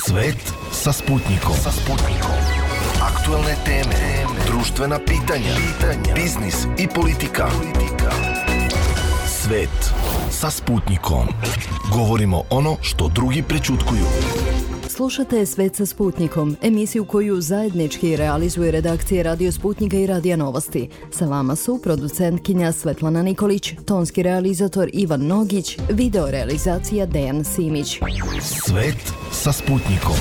Svet sa Sputnikom. Aktuelne teme, društvena pitanja, biznis i politika. Svet sa Sputnikom. Govorimo ono što drugi prećutkuju. Slušate Svet sa Sputnikom, emisiju koju zajednički realizuje redakcije Radio Sputnika i Radija Novosti. Sa vama su producentkinja Svetlana Nikolić, tonski realizator Ivan Nogić, video realizacija Dejan Simić. Svet sa Sputnikom.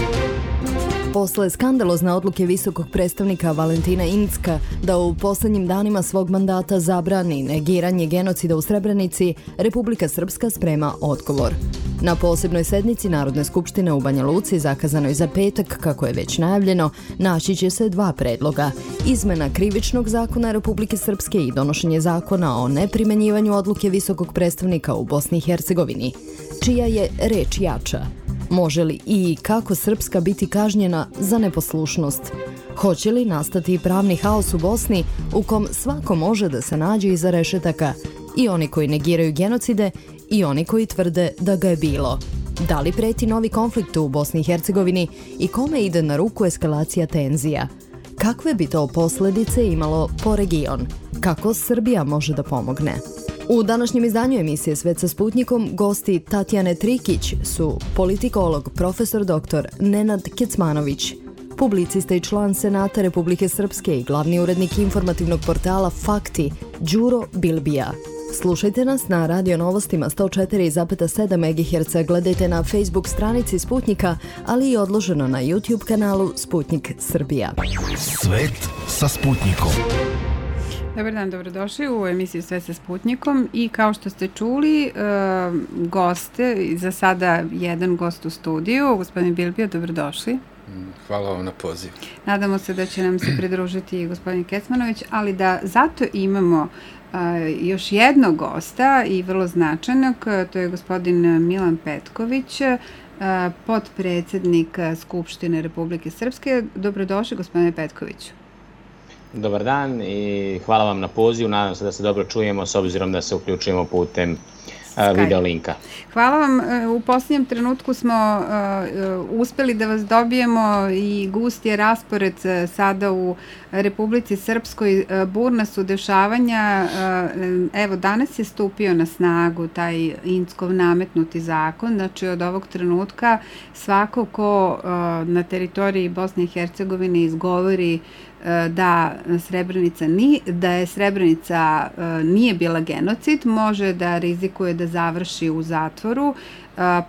Posle skandalozne odluke visokog predstavnika Valentina Incka da u poslednjim danima svog mandata zabrani negiranje genocida u Srebrenici, Republika Srpska sprema odgovor. Na posebnoj sednici Narodne skupštine u Banja Luci, zakazanoj za petak, kako je već najavljeno, naći će se dva predloga. Izmena krivičnog zakona Republike Srpske i donošenje zakona o neprimenjivanju odluke visokog predstavnika u Bosni i Hercegovini. Čija je reč jača? Može li i kako Srpska biti kažnjena za neposlušnost? Hoće li nastati pravni haos u Bosni u kom svako može da se nađe iza rešetaka, i oni koji negiraju genocide i oni koji tvrde da ga je bilo? Da li preti novi konflikt u Bosni i Hercegovini i kome ide na ruku eskalacija tenzija? Kakve bi to posledice imalo po region? Kako Srbija može da pomogne? U današnjem izdanju emisije Svet sa Sputnikom gosti Tatjane Trikić su politikolog profesor dr. Nenad Kecmanović, publicista i član Senata Republike Srpske i glavni urednik informativnog portala Fakti Đuro Bilbija. Slušajte nas na Radio Novostima 104,7 MHz, gledajte na Facebook stranici Sputnika, ali i odloženo na YouTube kanalu Sputnik Srbija. Svet sa Sputnikom. Dobar dan, dobrodošli u emisiju Sve sa Sputnikom i kao što ste čuli, goste, za sada jedan gost u studiju, gospodin Bilbija, dobrodošli. Hvala vam na poziv. Nadamo se da će nam se pridružiti gospodin Kecmanović, ali da zato imamo još jednog gosta i vrlo značajnog, to je gospodin Milan Petković, potpredsednik Skupštine Republike Srpske. Dobrodošli, gospodine Petkoviću. Dobar dan i hvala vam na pozivu. Nadam se da se dobro čujemo s obzirom da se uključujemo putem video linka. Hvala vam. U posljednjem trenutku smo uspeli da vas dobijemo i gust je raspored sada u Republici Srpskoj. Burna su dešavanja. Evo, danas je stupio na snagu taj Inckov nametnuti zakon. Znači, od ovog trenutka svako ko na teritoriji Bosne i Hercegovine izgovori da je Srebrenica nije bila genocid, može da rizikuje da završi u zatvoru.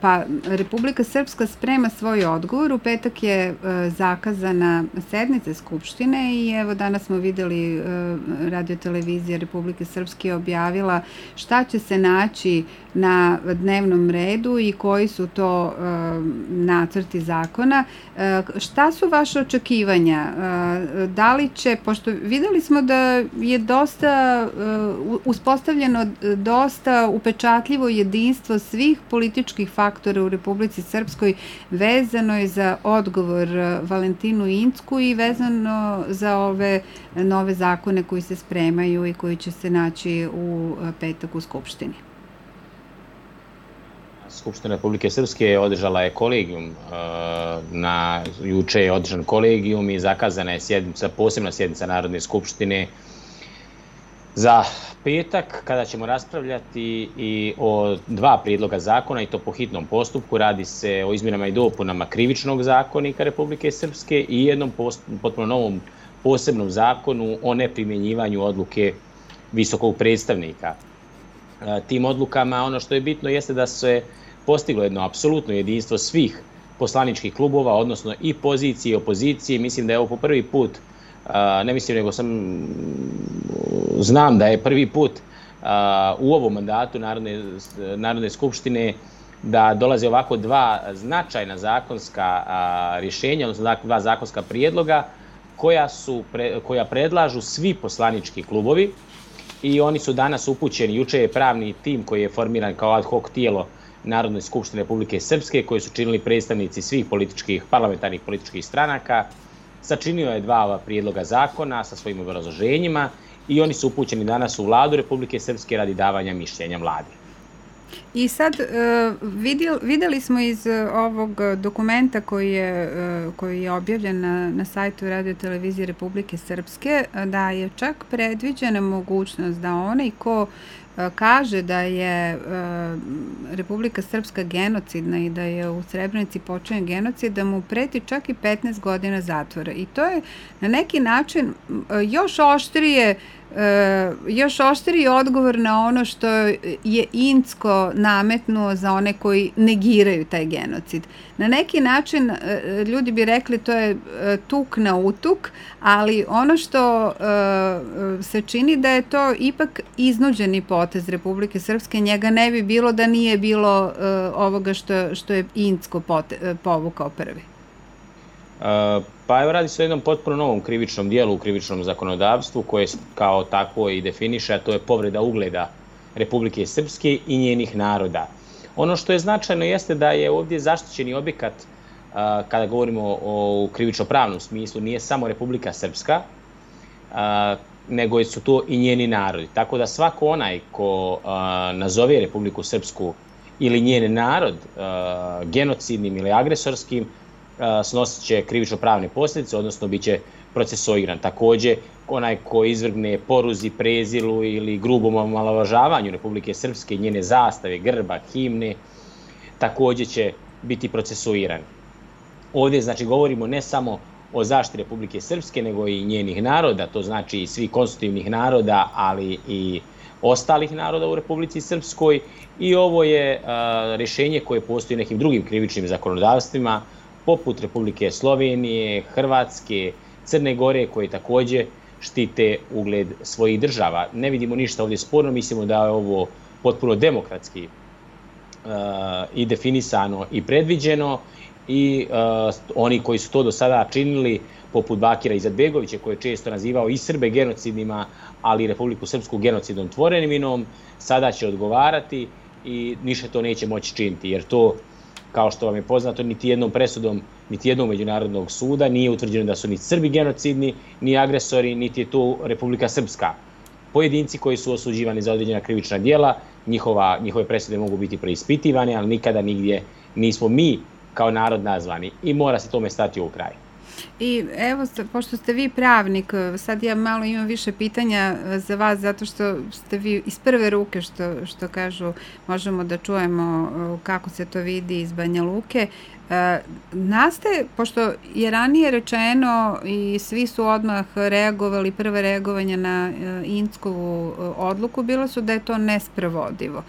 Pa Republika Srpska sprema svoj odgovor. U petak je zakazana sednica Skupštine i evo danas smo videli radiotelevizija Republike Srpske je objavila šta će se naći na dnevnom redu i koji su to nacrti zakona. Šta su vaše očekivanja? Da li će, pošto videli smo da je dosta uspostavljeno dosta upečatljivo jedinstvo svih političkih faktora u Republici Srpskoj, vezano je za odgovor Valentinu Incku i vezano za ove nove zakone koji se spremaju i koji će se naći u petak u Skupštini. Skupština Republike Srpske održala je kolegijum, juče je održan kolegijum i zakazana je posebna sjednica Narodne skupštine za petak, kada ćemo raspravljati i o dva prijedloga zakona, i to po hitnom postupku. Radi se o izmjenama i dopunama Krivičnog zakonika Republike Srpske i jednom potpuno novom posebnom zakonu o neprimjenjivanju odluke visokog predstavnika. Tim odlukama ono što je bitno jeste da se postiglo jedno apsolutno jedinstvo svih poslaničkih klubova, odnosno i pozicije i opozicije. Mislim da je ovo po prvi put, ne mislim nego znam da je prvi put u ovom mandatu Narodne skupštine da dolaze ovako dva značajna zakonska rješenja, odnosno dva zakonska prijedloga koja predlažu svi poslanički klubovi i oni su danas upućeni. Juče je pravni tim koji je formiran kao ad hoc tijelo Narodne skupštine Republike Srpske, koji su činili predstavnici svih parlamentarnih političkih stranaka, sačinio je dva ova prijedloga zakona sa svojim obrazloženjima i oni su upućeni danas u Vladu Republike Srpske radi davanja mišljenja Vladi. I sad videli smo iz ovog dokumenta koji je objavljen na sajtu Radio televizije Republike Srpske da je čak predviđena mogućnost da onaj ko kaže da je Republika Srpska genocidna i da je u Srebrenici počinjen genocid, da mu preti čak i 15 godina zatvora. I to je na neki način još oštriji odgovor na ono što je Incko nametnuo za one koji negiraju taj genocid. Na neki način ljudi bi rekli to je tuk na utuk, ali ono što se čini da je to ipak iznuđeni potez Republike Srpske, njega ne bi bilo da nije bilo ovoga što je Incko povukao prvi. Pa evo, radi se o jednom potpuno novom krivičnom dijelu u krivičnom zakonodavstvu koje kao takvo i definiše, a to je povreda ugleda Republike Srpske i njenih naroda. Ono što je značajno jeste da je ovdje zaštićeni objekat, kada govorimo o krivično-pravnom smislu, nije samo Republika Srpska, nego su to i njeni narodi. Tako da svako onaj ko nazove Republiku Srpsku ili njen narod genocidnim ili agresorskim, snosit će krivično-pravne posljedice, odnosno bit će procesuiran. Također, onaj ko izvrgne poruzi, prezilu ili grubom omalovažavanju Republike Srpske, njene zastave, grba, himne, također će biti procesuiran. Ovdje znači govorimo ne samo o zaštiti Republike Srpske, nego i njenih naroda, to znači i svih konstitutivnih naroda, ali i ostalih naroda u Republici Srpskoj, i ovo je rješenje koje postoji u nekim drugim krivičnim zakonodavstvima, poput Republike Slovenije, Hrvatske, Crne Gore, koje također štite ugled svojih država. Ne vidimo ništa ovdje sporno, mislimo da je ovo potpuno demokratski i definisano i predviđeno, i oni koji su to do sada činili, poput Bakira Izetbegovića, koji je često nazivao i Srbe genocidnima, ali i Republiku Srpsku genocidnom tvoreminom, sada će odgovarati i ništa to neće moći činiti, jer to, kao što vam je poznato, niti jednom presudom, niti jednog međunarodnog suda nije utvrđeno da su ni Srbi genocidni, ni agresori, niti je to Republika Srpska. Pojedinci koji su osuđivani za određena krivična djela, njihove presude mogu biti preispitivane, ali nikada nigdje nismo mi kao narod nazvani, i mora se tome stati u kraj. I evo, pošto ste vi pravnik, sad ja malo imam više pitanja za vas, zato što ste vi iz prve ruke, što kažu, možemo da čujemo kako se to vidi iz Banja Luke. Nastaje, pošto je ranije rečeno i svi su odmah reagovali, prve reagovanja na Inckovu odluku bilo su da je to nesprovodivo.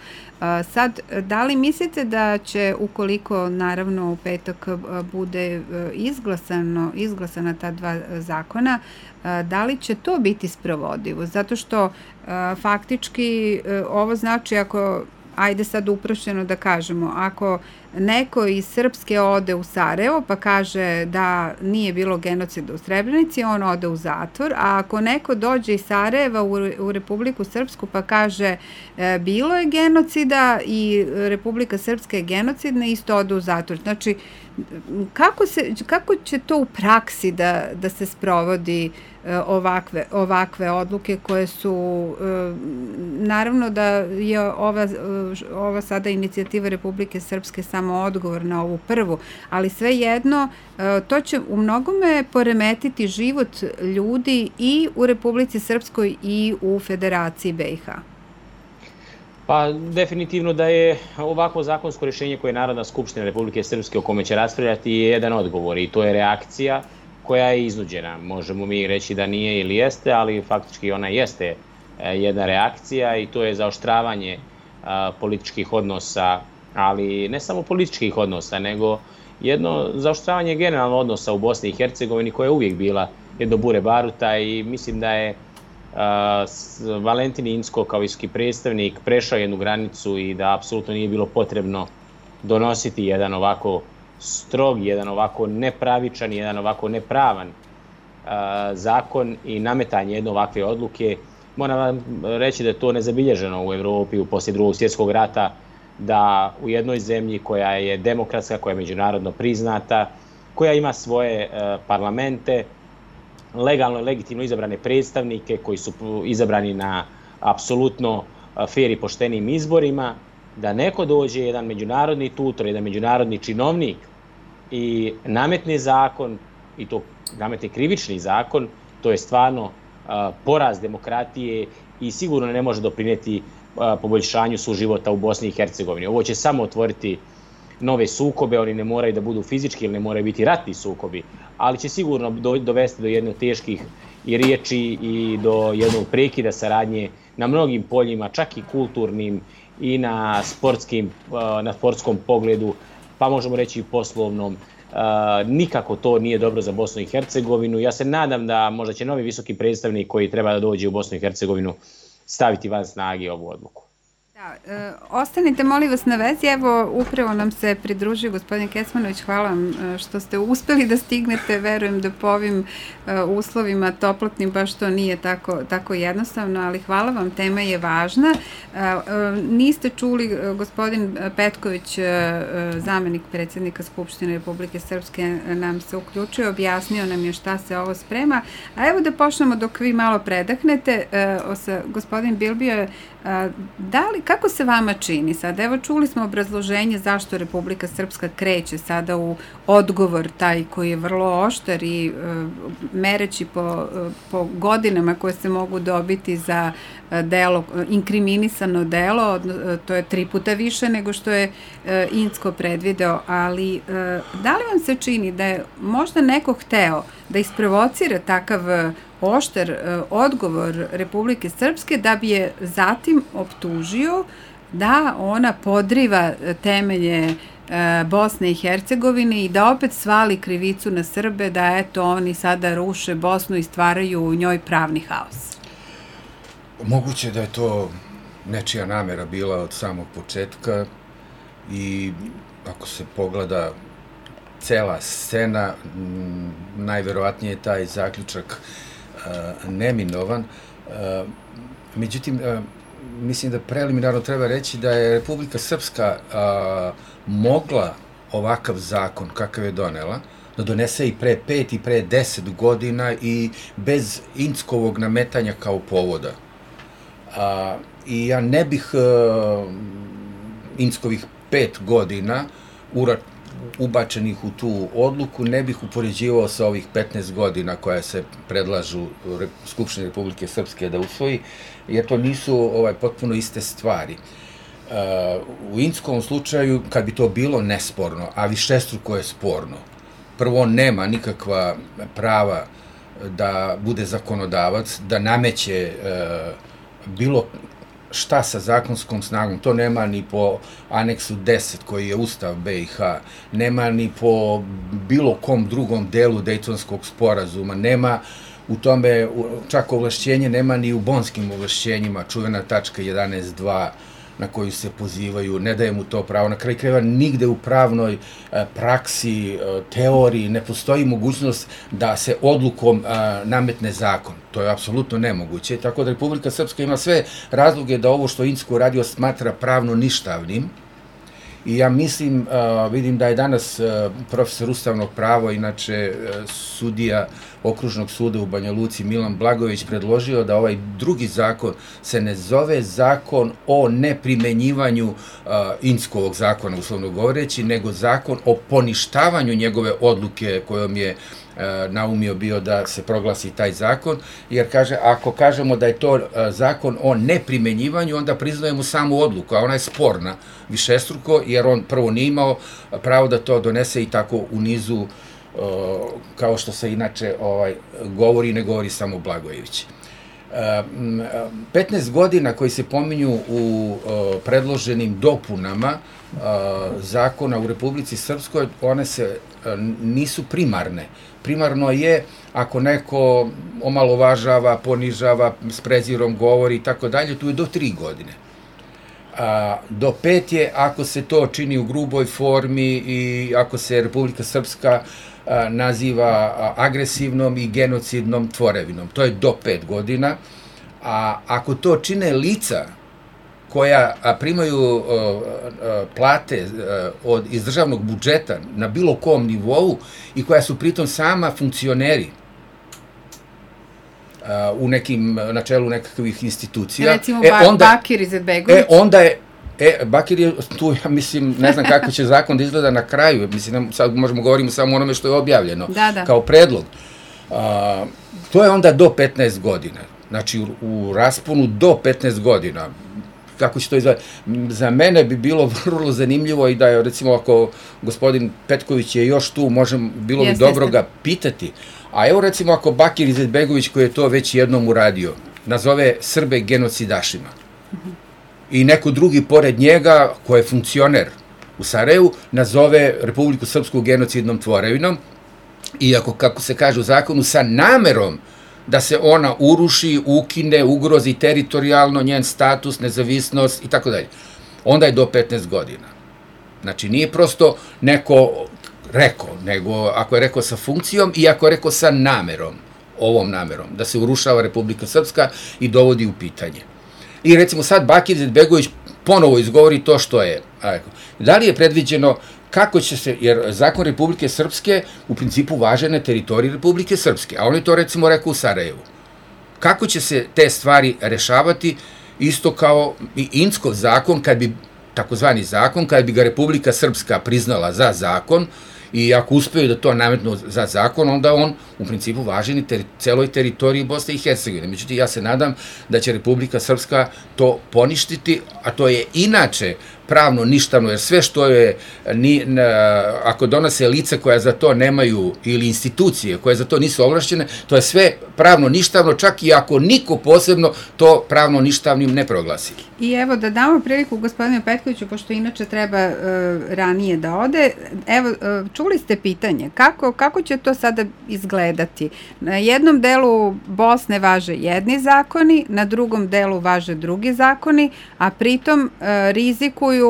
Sad, da li mislite da će, ukoliko naravno u petak bude izglasana ta dva zakona, da li će to biti sprovodivo? Zato što faktički ovo znači, ako, ajde sad uprošćeno da kažemo, ako neko iz Srpske ode u Sarajevo pa kaže da nije bilo genocida u Srebrenici, on ode u zatvor, a ako neko dođe iz Sarajeva u Republiku Srpsku pa kaže bilo je genocida i Republika Srpska je genocidna, isto ode u zatvor. Znači, kako će to u praksi da se sprovodi ovakve odluke koje su, naravno da je ova sada inicijativa Republike Srpske samo odgovor na ovu prvu, ali svejedno to će u mnogome poremetiti život ljudi i u Republici Srpskoj i u Federaciji BiH. Pa definitivno da je ovakvo zakonsko rješenje koje je Narodna skupština Republike Srpske o kome će raspravljati je jedan odgovor, i to je reakcija koja je iznuđena. Možemo mi reći da nije ili jeste, ali faktički ona jeste jedna reakcija, i to je zaoštravanje političkih odnosa, ali ne samo političkih odnosa, nego jedno zaoštravanje generalno odnosa u Bosni i Hercegovini, koja je uvijek bila jedno bure baruta, i mislim da je Valentin Incko kao visoki predstavnik prešao jednu granicu i da apsolutno nije bilo potrebno donositi jedan ovako strog, jedan ovako nepravičan, jedan ovako nepravan zakon i nametanje jedne ovakve odluke. Moram vam reći da je to nezabilježeno u Evropi poslije Drugog svjetskog rata, da u jednoj zemlji koja je demokratska, koja je međunarodno priznata, koja ima svoje parlamente, legalno i legitimno izabrane predstavnike koji su izabrani na apsolutno fair i poštenim izborima, da neko dođe, jedan međunarodni tutor, jedan međunarodni činovnik i nametne zakon, i to nametne krivični zakon, to je stvarno poraz demokratije i sigurno ne može doprinijeti poboljšanju suživota u Bosni i Hercegovini. Ovo će samo otvoriti nove sukobe, oni ne moraju da budu fizički ili ne moraju biti ratni sukobi, ali će sigurno dovesti do jednog teških i riječi i do jednog prekida saradnje na mnogim poljima, čak i kulturnim i na sportskom pogledu, pa možemo reći i poslovnom. Nikako to nije dobro za Bosnu i Hercegovinu. Ja se nadam da možda će novi visoki predstavnik koji treba da dođe u Bosnu i Hercegovinu staviti van snage ovu odluku. Da, ostanite molim vas na vezi, evo upravo nam se pridružio gospodin Kecmanović, hvala vam što ste uspeli da stignete, verujem da po ovim uslovima toplotnim baš to nije tako jednostavno, ali hvala vam, tema je važna. Niste čuli, gospodin Petković, zamenik predsjednika Skupštine Republike Srpske, nam se uključio, objasnio nam je šta se ovo sprema, a evo da počnemo dok vi malo predahnete, gospodin Bilbio, kako se vama čini sad? Evo čuli smo obrazloženje zašto Republika Srpska kreće sada u odgovor taj koji je vrlo oštar i mereći po godinama koje se mogu dobiti za delo, inkriminisano delo, to je 3 puta više nego što je Incko predvideo, ali da li vam se čini da je možda neko hteo da isprovocira takav oštar odgovor Republike Srpske da bi je zatim optužio da ona podriva temelje Bosne i Hercegovine i da opet svali krivicu na Srbe, da eto oni sada ruše Bosnu i stvaraju u njoj pravni haos? Moguće da je to nečija namera bila od samog početka i ako se pogleda cela scena, najverovatnije je taj zaključak neminovan. Međutim, mislim da preliminarno treba reći da je Republika Srpska mogla ovakav zakon kakav je donela, da donese i pre 5 i pre 10 godina i bez Inckovog nametanja kao povoda. I ja ne bih Inckovih 5 godina ubačenih u tu odluku ne bih upoređivao sa ovih 15 godina koja se predlažu Skupštini Republike Srpske da usvoji, jer to nisu potpuno iste stvari. U Inckovom slučaju, kad bi to bilo nesporno, a višestruko je sporno, prvo on nema nikakva prava da bude zakonodavac, da nameće bilo šta sa zakonskom snagom, to nema ni po aneksu 10 koji je Ustav BiH, nema ni po bilo kom drugom delu Dejtonskog sporazuma, nema u tome čak ovlašćenje, nema ni u bonskim ovlašćenjima, čuvena tačka 11.2 na koju se pozivaju, ne daje mu to pravo. Na kraju krajeva nigde u pravnoj praksi, teoriji ne postoji mogućnost da se odlukom nametne zakon. To je apsolutno nemoguće. Tako da Republika Srpska ima sve razloge da ovo što Incko uradio smatra pravno ništavnim. I ja mislim, vidim da je danas profesor ustavnog prava, inače sudija Okružnog suda u Banja Luci Milan Blagojević, predložio da ovaj drugi zakon se ne zove zakon o neprimenjivanju Inckovog zakona, uslovno govoreći, nego zakon o poništavanju njegove odluke kojom je naumio bio da se proglasi taj zakon, jer kaže, ako kažemo da je to zakon o neprimenjivanju, onda priznajemo samu odluku, a ona je sporna višestruko, jer on prvo nije imao pravo da to donese i tako u nizu, kao što se inače govori, ne govori samo Blagojević. 15 godina koji se pominju u predloženim dopunama zakona u Republici Srpskoj, one se nisu primarne. Primarno je ako neko omalovažava, ponižava, s prezirom govori i tako dalje, tu je do 3 godine. Do 5 je ako se to čini u gruboj formi i ako se Republika Srpska naziva agresivnom i genocidnom tvorevinom. To je do 5 godina. A ako to čine lica koja primaju plate iz državnog budžeta na bilo kom nivou i koja su pritom sama funkcioneri u nekim, na čelu nekakvih institucija. Recimo Bakir Izetbegović. Bakir je tu, ja mislim, ne znam kako će zakon da izgleda na kraju, mislim, sad možemo govoriti samo o onome što je objavljeno kao predlog. To je onda do 15 godina, znači u rasponu do 15 godina. Kako će to izgledati? Za mene bi bilo vrlo zanimljivo i da je, recimo, ako gospodin Petković je još tu, bilo bi dobro ga pitati. A evo, recimo, ako Bakir Izetbegović, koji je to već jednom uradio, nazove Srbe genocidašima i neko drugi pored njega, ko je funkcioner u Sarajevu, nazove Republiku Srpsku genocidnom tvorevinom, iako, kako se kaže u zakonu, sa namerom da se ona uruši, ukine, ugrozi teritorijalno njen status, nezavisnost i tako dalje. Onda je do 15 godina. Znači, nije prosto neko rekao, nego ako je rekao sa funkcijom i ako je rekao sa namerom, ovom namerom, da se urušava Republika Srpska i dovodi u pitanje. I recimo sad Bakir Izetbegović ponovo izgovori to što je. Da li je predviđeno kako će se, jer zakon Republike Srpske u principu važe na teritoriji Republike Srpske, a on je to recimo rekao u Sarajevu. Kako će se te stvari rešavati, isto kao i Inckov zakon, takozvani zakon, kad bi ga Republika Srpska priznala za zakon, i ako uspeju da to nametnu za zakon, onda on u principu važi na celoj teritoriji Bosne i Hercegovine. Međutim, ja se nadam da će Republika Srpska to poništiti, a to je inače pravno ništavno, jer sve što je, ako donose lice koja za to nemaju, ili institucije koje za to nisu ovlašćene, to je sve pravno ništavno, čak i ako niko posebno to pravno ništavnim ne proglasi. I evo, da damo priliku gospodinu Petkoviću, pošto inače treba ranije da ode. Evo, čuli ste pitanje, kako će to sada izgledati? Na jednom delu Bosne važe jedni zakoni, na drugom delu važe drugi zakoni, a pritom rizikuje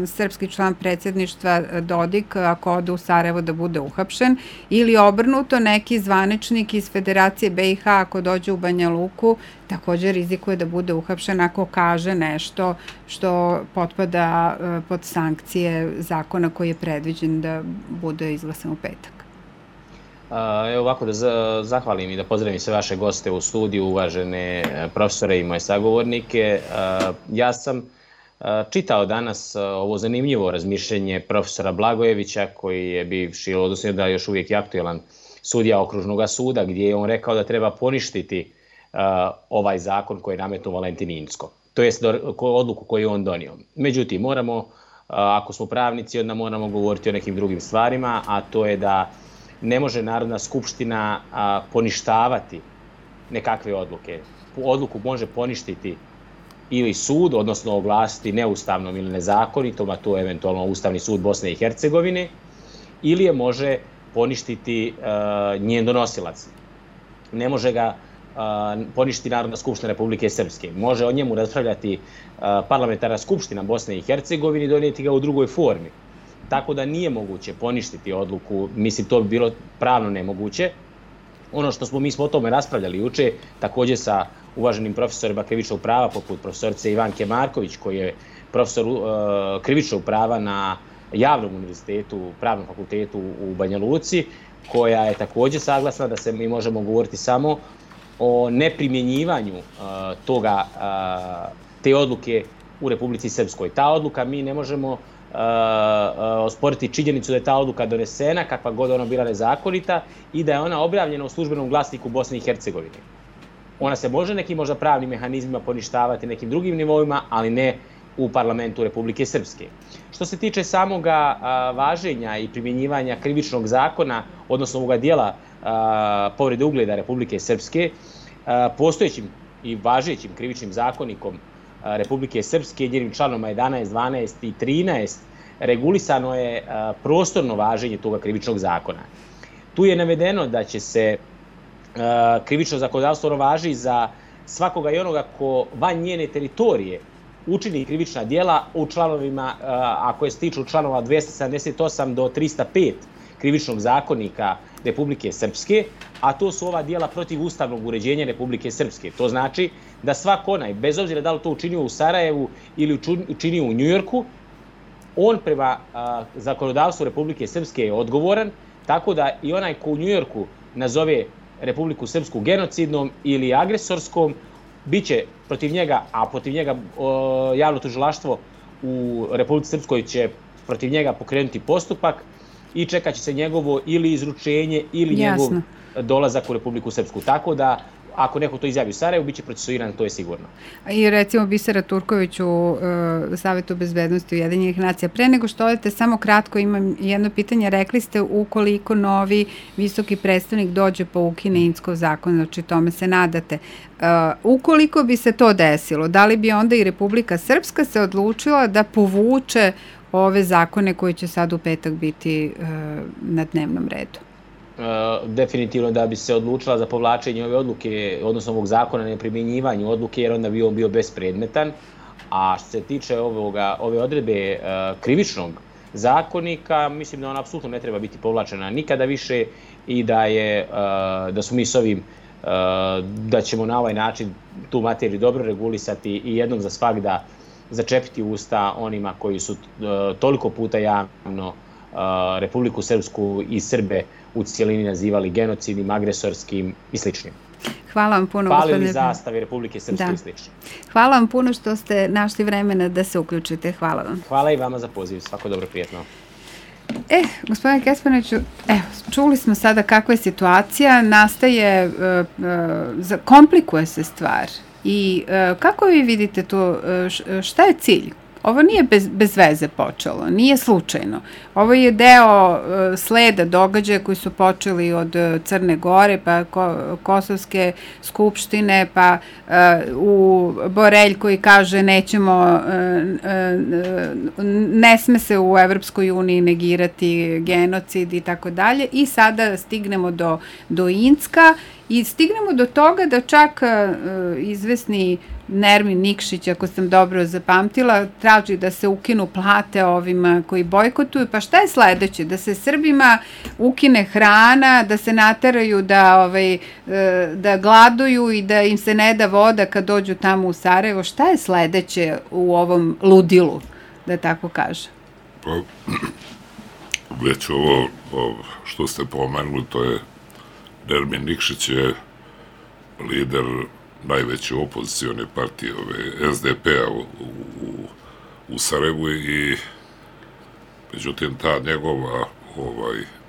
srpski član predsjedništva Dodik, ako ode u Sarajevo, da bude uhapšen, ili obrnuto, neki zvaničnik iz Federacije BiH, ako dođe u Banja Luku, također rizikuje da bude uhapšen ako kaže nešto što potpada pod sankcije zakona koji je predviđen da bude izglasan u petak. Evo ovako da zahvalim i da pozdravim sve vaše goste u studiju, uvažene profesore i moje sagovornike. Ja sam čitao danas ovo zanimljivo razmišljenje profesora Blagojevića, koji je bivši, odnosno da još uvijek je aktuelan sudija Okružnog suda, gdje je on rekao da treba poništiti ovaj zakon koji je nametnuo Valentin Incko, to jest odluku koju je on donio. Međutim, moramo, ako smo pravnici, onda moramo govoriti o nekim drugim stvarima, a to je da ne može Narodna skupština poništavati nekakve odluke. Odluku može poništiti ili sud, odnosno oglasiti neustavnom ili nezakonitom, a to je eventualno Ustavni sud Bosne i Hercegovine, ili je može poništiti njen donosilac. Ne može ga poništiti Narodna skupština Republike Srpske. Može o njemu raspravljati parlamentarna skupština Bosne i Hercegovine i donijeti ga u drugoj formi. Tako da nije moguće poništiti odluku, mislim to bi bilo pravno nemoguće. Ono što mi smo o tome raspravljali juče, također sa uvaženim profesorima krivičnog prava, poput profesorice Ivanke Marković, koji je profesor krivičnog prava na Javnom univerzitetu, Pravnom fakultetu u Banja Luci, koja je također saglasna da se mi možemo govoriti samo o neprimjenjivanju te odluke u Republici Srpskoj. Ta odluka, mi ne možemo osporiti činjenicu da je ta odluka donesena, kakva god ona bila nezakonita, i da je ona objavljena u službenom glasniku Bosne i Hercegovine. Ona se može nekim možda pravnim mehanizmima poništavati nekim drugim nivoima, ali ne u parlamentu Republike Srpske. Što se tiče samoga važenja i primjenjivanja krivičnog zakona, odnosno ovoga dijela povrede ugleda Republike Srpske, postojećim i važećim krivičnim zakonikom Republike Srpske, njenim članovima 11, 12 i 13, regulisano je prostorno važenje toga krivičnog zakona. Tu je navedeno da će se krivično zakonodavstvo važi za svakoga i onoga ko van njene teritorije učini krivična djela u članovima, ako se tiču članova 278 do 305 krivičnog zakonika Republike Srpske, a to su ova djela protiv ustavnog uređenja Republike Srpske. To znači da svak onaj, bez obzira da li to učinio u Sarajevu ili učinio u Njujorku, on prema zakonodavstvu Republike Srpske je odgovoran, tako da i onaj ko u Njujorku nazove Republiku Srpsku genocidnom ili agresorskom, biće protiv njega, a protiv njega javno tužilaštvo u Republici Srpskoj će protiv njega pokrenuti postupak i čekat će se njegovo ili izručenje ili njegov dolazak u Republiku Srpsku. Tako da, ako neko to izjavi u Sarajevu, bit će procesuiran, to je sigurno. I recimo Bisera Turković u Savetu bezbednosti Ujedinjenih nacija. Pre nego što odete, samo kratko imam jedno pitanje. Rekli ste ukoliko novi visoki predstavnik dođe pa ukine Inckov zakon, znači tome se nadate. Ukoliko bi se to desilo, da li bi onda i Republika Srpska se odlučila da povuče ove zakone koji će sad u petak biti na dnevnom redu? Definitivno da bi se odlučila za povlačenje ove odluke, odnosno ovog zakona na neprimjenjivanju odluke, jer onda bi on bio bespredmetan. A što se tiče ove odredbe krivičnog zakonika, mislim da ona apsolutno ne treba biti povlačena nikada više i da smo mi s ovim, da ćemo na ovaj način tu materiju dobro regulisati i jednom za svagda začepiti usta onima koji su toliko puta javno Republiku Srpsku i Srbe u cijelini nazivali genocidnim, agresorskim i sličnim. Hvala vam puno. Palili zastave Republike Srpske i slično. Hvala vam puno što ste našli vremena da se uključite. Hvala vam. Hvala i vama za poziv. Svako dobro, prijetno. Gospodine Kespanoviću, čuli smo sada kakva je situacija, nastaje, komplikuje se stvar. I kako vi vidite to, šta je cilj? Ovo nije bez veze počelo, nije slučajno. Ovo je deo sleda događaja koji su počeli od Crne Gore, pa Kosovske skupštine, pa u Borelj koji kaže nećemo, ne sme se u Evropskoj uniji negirati genocid i tako dalje. I sada stignemo do Incka i stignemo do toga da čak izvesni Nermin Nikšić, ako sam dobro zapamtila, traži da se ukinu plate ovima koji bojkotuju. Pa šta je sledeće? Da se Srbima ukine hrana, da se nateraju da gladuju i da im se ne da voda kad dođu tamo u Sarajevo. Šta je sledeće u ovom ludilu, da tako kažem? Pa, već ovo što ste pomenuli, to je Nermin Nikšić je lider najveće opozicione partije SDP-a u Sarajevu i međutim ta njegova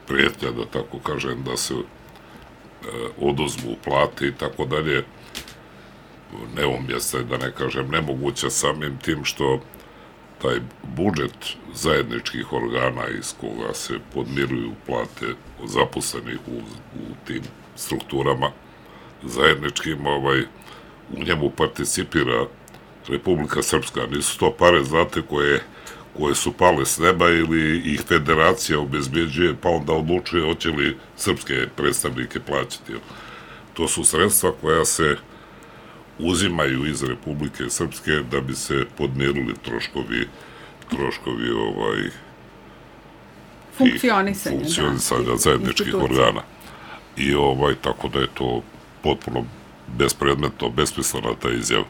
prijetnja, da tako kažem, da se oduzmu plate i tako dalje, neumjesna je, da ne kažem nemoguća, samim tim što taj budžet zajedničkih organa iz koga se podmiruju plate zaposlenih u tim strukturama zajedničkim, u njemu participira Republika Srpska. Nisu to pare, znate, koje su pale s neba ili ih federacija obezbeđuje, pa onda odlučuje hoće li srpske predstavnike plaćati. To su sredstva koja se uzimaju iz Republike Srpske da bi se podmirili troškovi funkcionisanja zajedničkih organa. I tako da je to potpuno bespredmetno, besmislena ta izjava.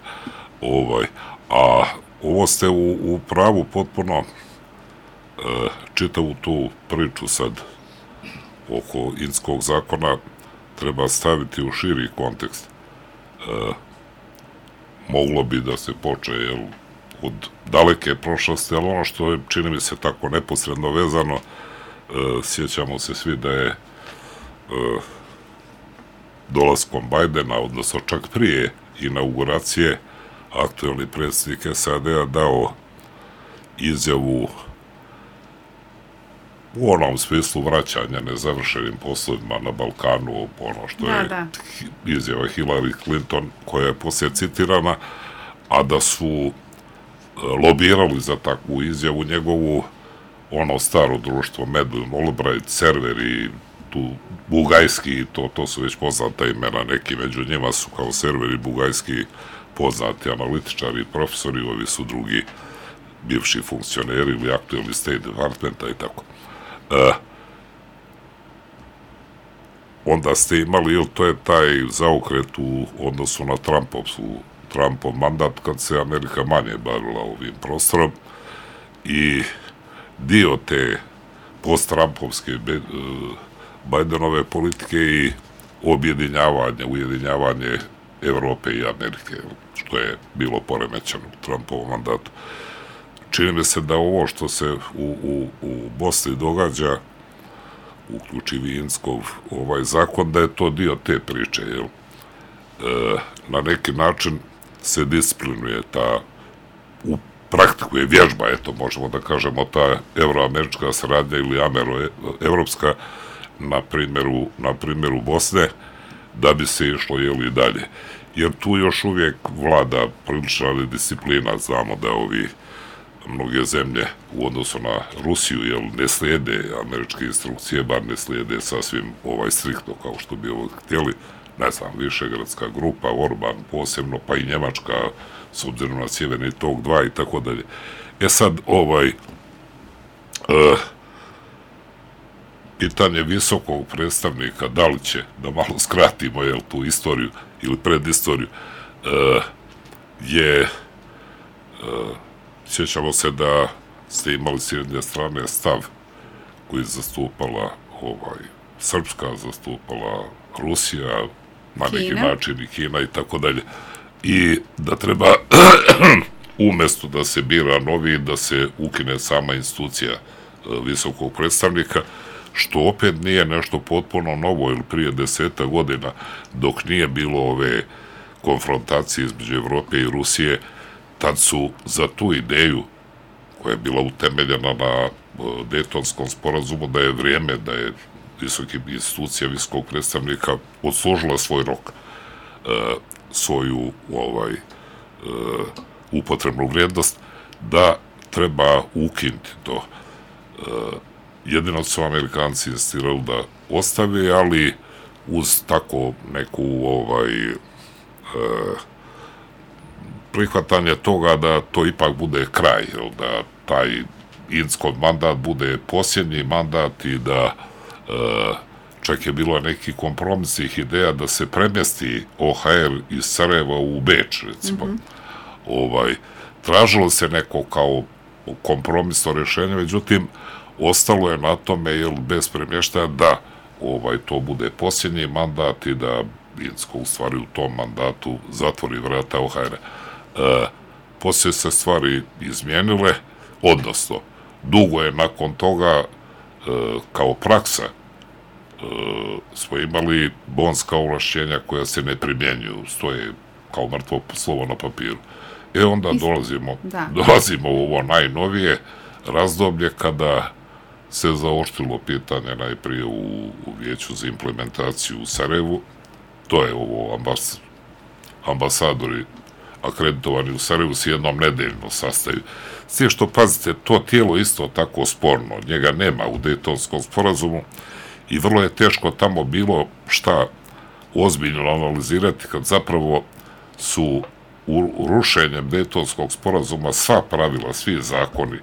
A ovo ste u pravu potpuno, čitavu tu priču sad oko Inckovog zakona treba staviti u širi kontekst. Moglo bi da se poče od daleke prošlosti, ali ono što je, čini mi se, tako neposredno vezano, sjećamo se svi da je dolaskom Bajdena, odnosno čak prije inauguracije, aktuelni predsjednik SAD-a dao izjavu u onom smislu vraćanja nezavršenim poslovima na Balkanu, ono što je izjava Hillary Clinton, koja je poslije citirana, a da su lobirali za takvu izjavu njegovu ono staro društvo, Madeleine Albright, serveri, tu Bugajski, to su već poznata imena, neki među njima su kao serveri Bugajski poznati analitičari i profesori, ovi su drugi bivši funkcioneri ili aktuelni State Departmenta i tako. Onda ste imali, to je taj zaokret u odnosu na Trumpov mandat, kad se Amerika manje bavila ovim prostorom i dio te post-Trumpovske Bajdenove politike i ujedinjavanje Evrope i Amerike, što je bilo poremećeno u Trumpovom mandatu. Čini mi se da ovo što se u Bosni događa, uključivi Inckov zakon, da je to dio te priče, jel? Na neki način se disciplinuje ta, praktikuje vježba, eto, možemo da kažemo, ta evroamerička saradnja ili američka na primjeru Bosne, da bi se išlo, jel, i dalje. Jer tu još uvijek vlada prilična disciplina, znamo da mnoge zemlje u odnosu na Rusiju, jel, ne slijede američke instrukcije, bar ne slijede sasvim striktno kao što bi htjeli, ne znam, Višegradska grupa, Orban posebno, pa i Njemačka, s obzirom na Sjeverni tok 2 i tako dalje. Sad, pitanje visokog predstavnika, da li će, da malo skratimo, jel, tu istoriju ili predistoriju, sjećamo se da ste imali s jedne strane stav koji je zastupala Srpska, zastupala Rusija, na neki način i Kina i tako dalje. I da treba umjesto da se bira novi, da se ukine sama institucija visokog predstavnika, što opet nije nešto potpuno novo, ili prije 10 godina, dok nije bilo ove konfrontacije između Evrope i Rusije, tad su za tu ideju, koja je bila utemeljena na Dejtonskom sporazumu, da je vrijeme, da je institucija visokog predstavnika odslužila svoj rok, svoju upotrebnu vrijednost, da treba ukinuti to. Jedino su Amerikanci insistirali da ostave, ali uz tako neku prihvatanje toga da to ipak bude kraj, da taj Inckov mandat bude posljednji mandat i da čak je bilo neki kompromisnih ideja da se premjesti OHR iz Sarajeva u Beč, recimo. Tražilo se neko kao kompromisno rješenje, međutim, ostalo je na tome, jer bez premještaja, da to bude posljednji mandat i da Inckov u stvari u tom mandatu zatvori vrata OHR-a. Poslije se stvari izmijenile, odnosno, dugo je nakon toga kao praksa smo imali bonska ovlašćenja koja se ne primjenjuju, stoje kao mrtvo slovo na papiru. Onda dolazimo u ovo najnovije razdoblje kada se zaoštrilo pitanje najprije u Vijeću za implementaciju u Sarajevu, to je ovo ambasadori akreditovani u Sarajevu s jednom nedeljno sastaju. S tim što, pazite, to tijelo isto tako sporno, njega nema u Dejtonskom sporazumu i vrlo je teško tamo bilo šta ozbiljno analizirati kad zapravo su rušenjem Dejtonskog sporazuma sva pravila, svi zakoni,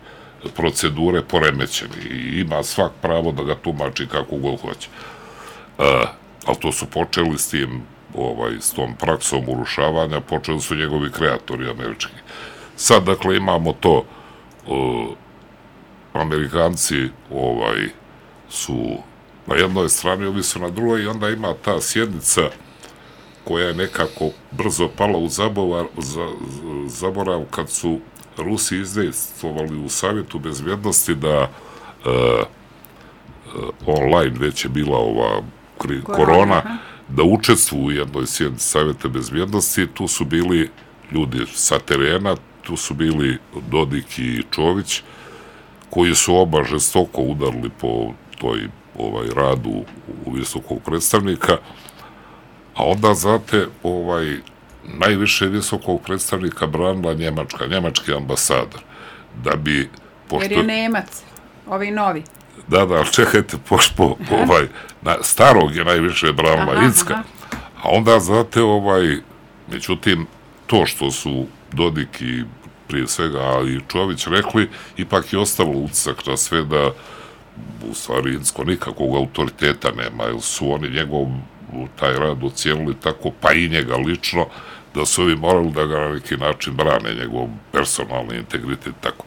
procedure poremećeni i ima svak pravo da ga tumači kako god hoće. Ali to su počeli s tom praksom urušavanja, počeli su njegovi kreatori američki. Sad, dakle, imamo to, Amerikanci su na jednoj strani, ovi su na drugoj, i onda ima ta sjednica koja je nekako brzo pala u zaborav kad su Rusi izdejstvovali u Savjetu bezbjednosti da online već je bila ova korona, da učestvuju u jednoj sjednici Savjeta bezbjednosti. Tu su bili ljudi sa terena, tu su bili Dodik i Čović, koji su oba žestoko udarili po toj radu u visokog predstavnika, a onda, znate, najviše visokog predstavnika branila njemački ambasador. Jer je Nemac, ovi novi. Da, čekajte, pošto starog je najviše branila Incka, a onda, znate, međutim, to što su Dodik i prije svega, ali i Čović rekli, ipak je ostalo utisak na sve da u stvari Incko nikakvog autoriteta nema, jer su oni njegov taj rad ocijenili tako, pa i njega lično, da su ovi morali da ga na neki način brane, njegov personalni integritet, tako.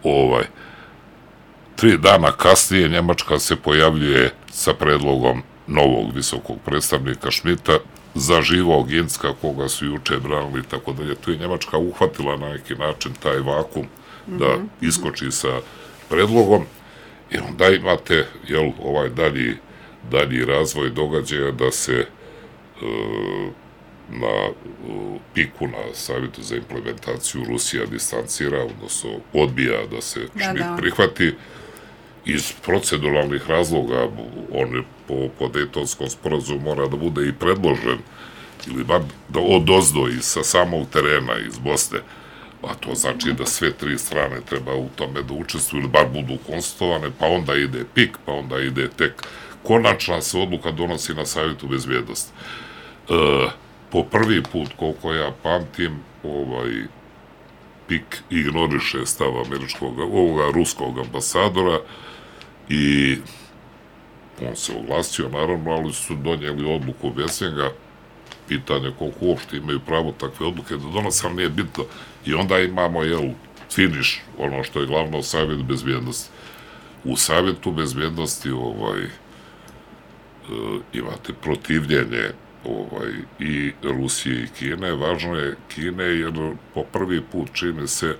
3 dana kasnije Njemačka se pojavljuje sa predlogom novog visokog predstavnika Schmidta, zaživao Ginska, koga su juče branili i tako dalje. Tu je Njemačka uhvatila na neki način taj vakum da iskoči sa predlogom i onda imate ovaj dalji razvoj događaja da se na piku na Savjetu za implementaciju Rusija distancira, odnosno odbija da se Schmidt prihvati. Iz proceduralnih razloga on po Dejtonskom sporazumu mora da bude i predložen ili bar odozdo i sa samog terena iz Bosne, a to znači da sve tri strane treba u tome da učestvuju ili bar budu konsultovane, pa onda ide pik, pa onda ide tek konačna se odluka donosi na Savjetu bezbjednosti. Po prvi put, koliko ja pamtim, pik ignoriše stav ruskog ambasadora i on se oglasio, naravno, ali su donijeli odluku bez njega. Pitanje koliko uopšte imaju pravo takve odluke da donose, ali nije bitno. I onda imamo, finiš, ono što je glavno Savjet bezbjednosti. U Savjetu bezbjednosti imate protivljenje i Rusije i Kine. Važno je Kine jer po prvi put čini se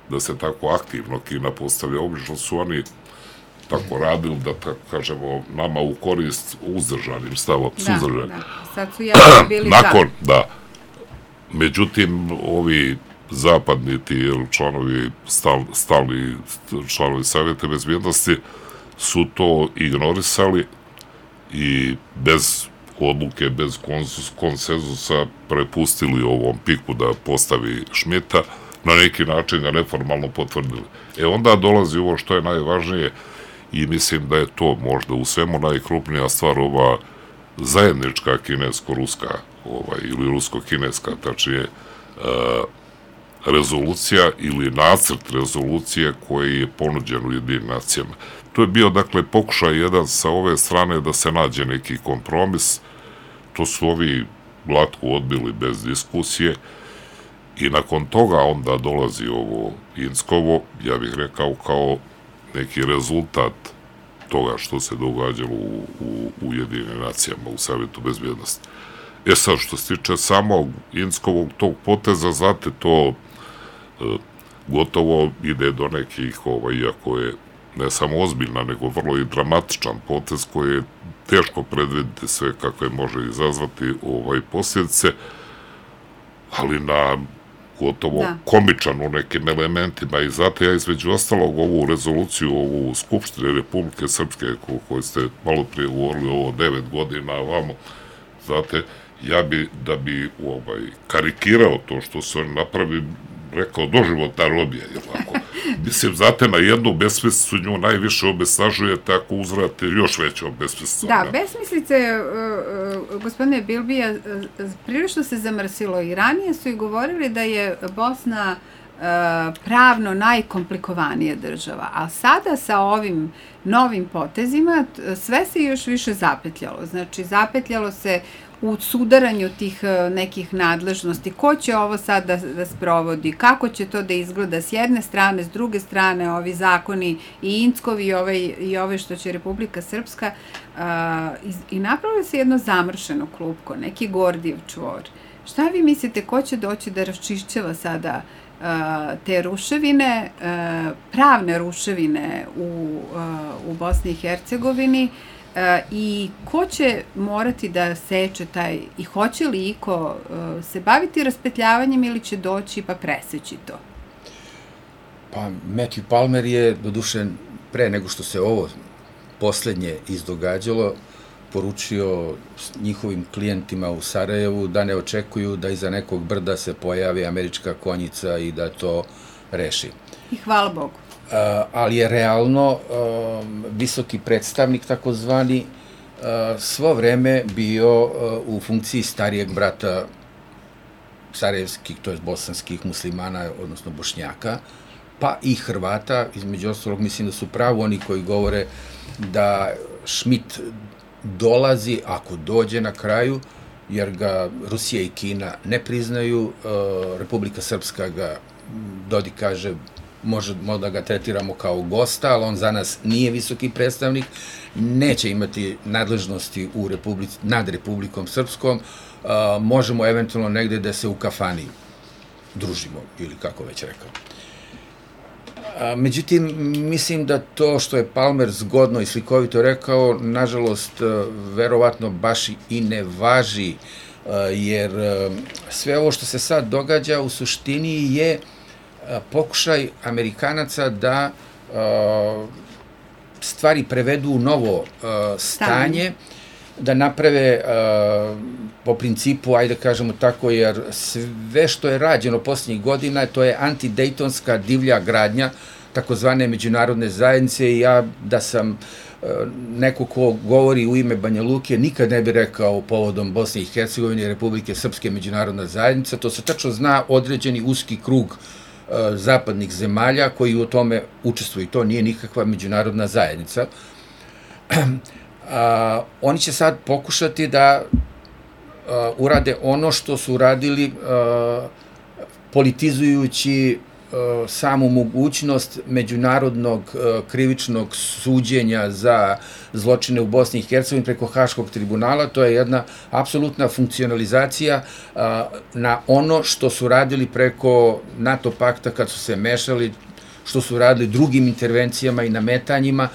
da se tako aktivno Kina postavlja. Obično su oni tako radili da, tako kažemo, nama u korist uzdržanim stavom. Da. Sad su jako bili nakon, da. Međutim, ovi zapadni ti članovi, stalni članovi Savjeta bezbjednosti su to ignorisali i bez odluke, bez konsenzusa prepustili ovom piku da postavi Schmidta, na neki način ga neformalno potvrdili. Onda dolazi ovo što je najvažnije i mislim da je to možda u svemu najkrupnija stvar, ova zajednička kinesko-ruska ili rusko-kineska, tačnije rezolucija ili nacrt rezolucije koji je ponuđen u Jedinim nacijama. To je bio, dakle, pokušaj jedan sa ove strane da se nađe neki kompromis. To su ovi glatko odbili bez diskusije i nakon toga onda dolazi ovo Inskovo, ja bih rekao kao neki rezultat toga što se događalo u Ujedinim nacijama, u Savjetu bezbjednosti. Sad, što se tiče samog Inskovog tog poteza, znate, to gotovo ide do nekih, iako je ne samo ozbiljna, nego vrlo i dramatičan potez koji je teško predviditi sve kakve može izazvati posljedice, ali na gotovo komičan u nekim elementima. I zato ja između ostalog ovu rezoluciju, ovu Skupštine Republike Srpske, koju ste malo prije govorili, ovo 9 godina ovamo, znate, ja bi, da bi karikirao to što se oni napravi, rekao doživotna robija, je tako? Mislim, znate, na jednu besmislicu nju najviše obesnažujete ako uzvrate još veću besmislicu. Da, besmislice, gospodine Bilbija, prilično se zamrsilo i ranije su i govorili da je Bosna pravno najkomplikovanija država, a sada sa ovim novim potezima sve se još više zapetljalo. Znači, zapetljalo se u sudaranju tih nekih nadležnosti, ko će ovo sad da sprovodi, kako će to da izgleda s jedne strane, s druge strane, ovi zakoni i Inckovi i ove što će Republika Srpska i napravilo se jedno zamršeno klupko, neki Gordijev čvor. Šta vi mislite, ko će doći da raščišćava sada te ruševine, pravne ruševine u Bosni i Hercegovini, i ko će morati da seče taj, i hoće li iko se baviti raspetljavanjem ili će doći pa preseći to? Pa Matthew Palmer je, doduše, pre nego što se ovo poslednje izdogađalo, poručio njihovim klijentima u Sarajevu da ne očekuju da iza nekog brda se pojavi američka konjica i da to reši. I hvala Bogu. Ali je realno visoki predstavnik, takozvani, svo vreme bio u funkciji starijeg brata sarajevskih, to je bosanskih muslimana, odnosno Bošnjaka, pa i Hrvata. Između ostalog, mislim da su pravo oni koji govore da Schmidt dolazi, ako dođe na kraju, jer ga Rusija i Kina ne priznaju, Republika Srpska ga, Dodik kaže, možemo da ga tretiramo kao gosta, ali on za nas nije visoki predstavnik, neće imati nadležnosti nad Republikom Srpskom, možemo eventualno negde da se u kafani družimo, ili kako već rekao. Međutim, mislim da to što je Palmer zgodno i slikovito rekao, nažalost, verovatno baš i ne važi, jer sve ovo što se sad događa u suštini je pokušaj Amerikanaca da stvari prevedu u novo stanje, da naprave po principu, ajde kažemo tako, jer sve što je rađeno posljednjih godina, to je antidejtonska divlja gradnja takozvane međunarodne zajednice, i ja da sam neko ko govori u ime Banja Luke, nikad ne bi rekao povodom Bosne i Hercegovine i Republike Srpske međunarodna zajednica, to se tačno zna određeni uski krug zapadnih zemalja koji u tome učestvuju, to nije nikakva međunarodna zajednica. Oni će sad pokušati da urade ono što su uradili politizujući samu mogućnost međunarodnog krivičnog suđenja za zločine u Bosni i Hercegovini preko Haškog tribunala. To je jedna apsolutna funkcionalizacija na ono što su radili preko NATO pakta kad su se mešali, što su radili drugim intervencijama i nametanjima,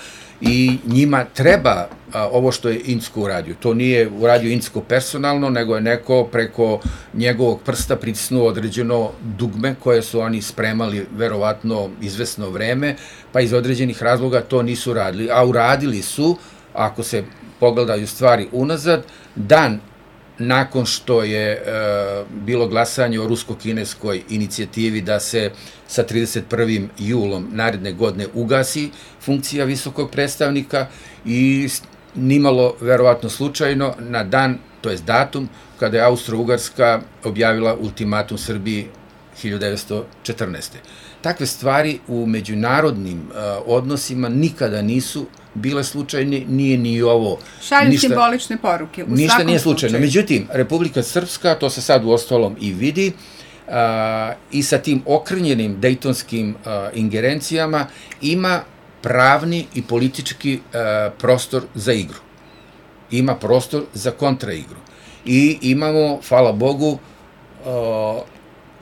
i njima treba ovo što je Incko uradio. To nije uradio Incko personalno, nego je neko preko njegovog prsta pritisnuo određeno dugme koje su oni spremali verovatno izvesno vreme, pa iz određenih razloga to nisu radili. A uradili su, ako se pogledaju stvari unazad, dan nakon što je bilo glasanje o rusko-kineskoj inicijativi da se sa 31. julom naredne godine ugasi funkcija visokog predstavnika, i nimalo verovatno slučajno na dan, to je datum, kada je Austro-Ugarska objavila ultimatum Srbiji 1914. Takve stvari u međunarodnim odnosima nikada nisu bile slučajne, nije ni ovo. Šalju simbolične poruke, u svakom ništa nije slučajno. slučaju. Međutim, Republika Srpska, to se sad u ostalom i vidi, i sa tim okrnjenim dejtonskim ingerencijama ima pravni i politički prostor za igru. Ima prostor za kontraigru. I imamo, hvala Bogu,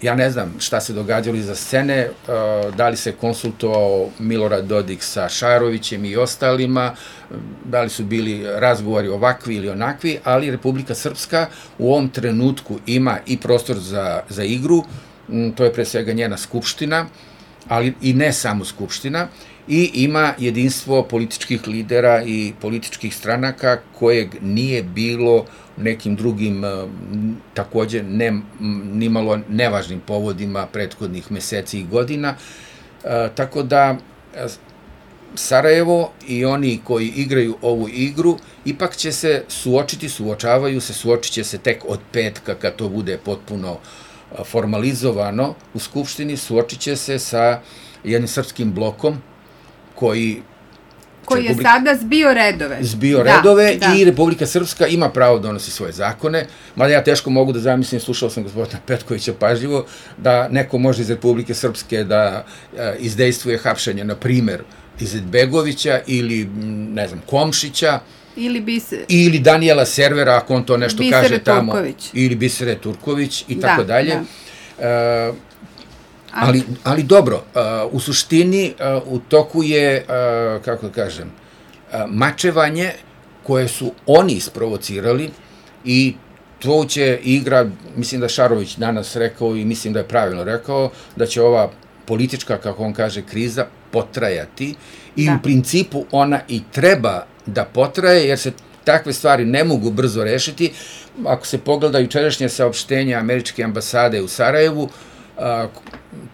ja ne znam šta se događalo iza scene, da li se konsultovao Milorad Dodik sa Šarovićem i ostalima, da li su bili razgovori ovakvi ili onakvi, ali Republika Srpska u ovom trenutku ima i prostor za igru, to je pre svega njena skupština, ali i ne samo skupština, i ima jedinstvo političkih lidera i političkih stranaka kojeg nije bilo nekim drugim, takođe nimalo nevažnim povodima prethodnih meseci i godina. Tako da Sarajevo i oni koji igraju ovu igru ipak će se suočit će se tek od petka kad to bude potpuno formalizovano u Skupštini, suočit će se sa jednim srpskim blokom koji je sada zbio redove. I Republika Srpska ima pravo da donosi svoje zakone, mada ja teško mogu da zamislim, slušao sam gospodina Petkovića pažljivo, da neko može iz Republike Srpske da izdejstvuje hapšenje, na primer, Izetbegovića ili, ne znam, Komšića, ili Danijela Servera, ako on to nešto kaže tamo, ili Bisere Turković i tako dalje. Ali dobro, u suštini u toku je, kako da kažem, mačevanje koje su oni isprovocirali, i to će igra, mislim da Šarović danas rekao i mislim da je pravilno rekao, da će ova politička, kako on kaže, kriza potrajati, i u principu ona i treba da potraje, jer se takve stvari ne mogu brzo rešiti. Ako se pogleda jučerašnje saopštenje američke ambasade u Sarajevu,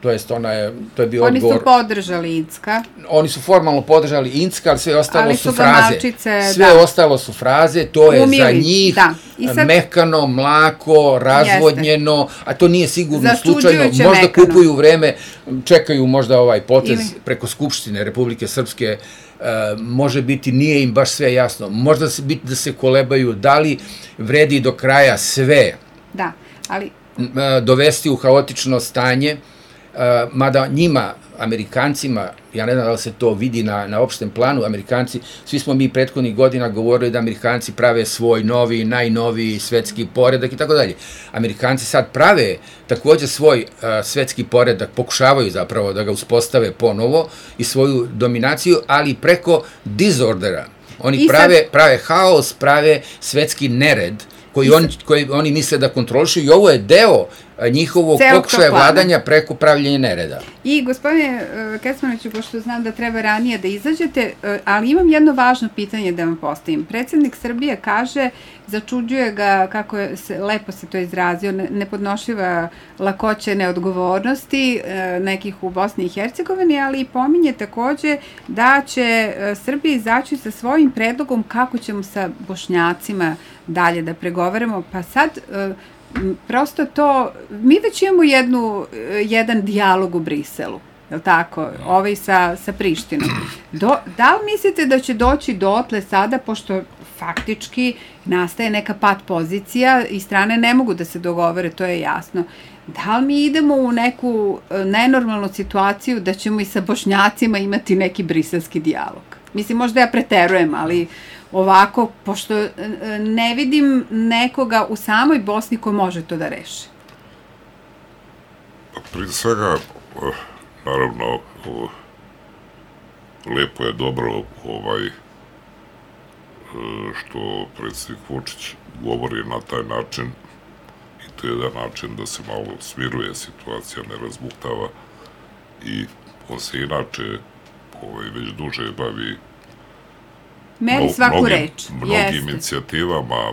to je bio odgovor. Oni su podržali Incka. Oni su formalno podržali Incka, ali sve ostalo su fraze. Sve ostalo su fraze, to je za njih mekano, mlako, razvodnjeno, a to nije sigurno slučajno. Možda kupuju vreme, čekaju možda ovaj potez preko Skupštine Republike Srpske, može biti, nije im baš sve jasno. Možda se biti da se kolebaju, da li vredi do kraja sve dovesti u haotično stanje, mada njima, Amerikancima, ja ne znam da li se to vidi na opštem planu, Amerikanci, svi smo mi prethodnih godina govorili da Amerikanci prave svoj novi, najnoviji svetski poredak i tako dalje. Amerikanci sad prave takođe svoj svetski poredak, pokušavaju zapravo da ga uspostave ponovo i svoju dominaciju, ali preko disordera. Oni prave haos, prave svetski nered koji oni misle da kontrolišu i ovo je deo njihovog pokušaja vladanja preko pravljenja nereda. I gospodine Kecmanoviću, pošto znam da treba ranije da izađete, ali imam jedno važno pitanje da vam postavim. Predsjednik Srbije kaže, začuđuje ga, kako je lepo se to izrazio, nepodnošljiva lakoća neodgovornosti nekih u Bosni i Hercegovini, ali i pominje takođe da će Srbija izaći sa svojim predlogom kako ćemo sa Bošnjacima dalje da pregovaramo. Pa sad, prosto to, mi već imamo jedan dijalog u Briselu, je li tako, sa Prištinom. Da li mislite da će doći dotle sada, pošto faktički nastaje neka pat pozicija i strane ne mogu da se dogovore, to je jasno. Da li mi idemo u neku nenormalnu situaciju da ćemo i sa Bošnjacima imati neki briselski dijalog? Mislim, možda ja preterujem, ali ovako, pošto ne vidim nekoga u samoj Bosni ko može to da reši. Prije svega, naravno, lepo je dobro što predsjednik Vučić govori na taj način i to je jedan način da se malo smiruje situacija, ne razbuktava i on se inače već duže bavi meri svaku reč. Mnogim inicijativama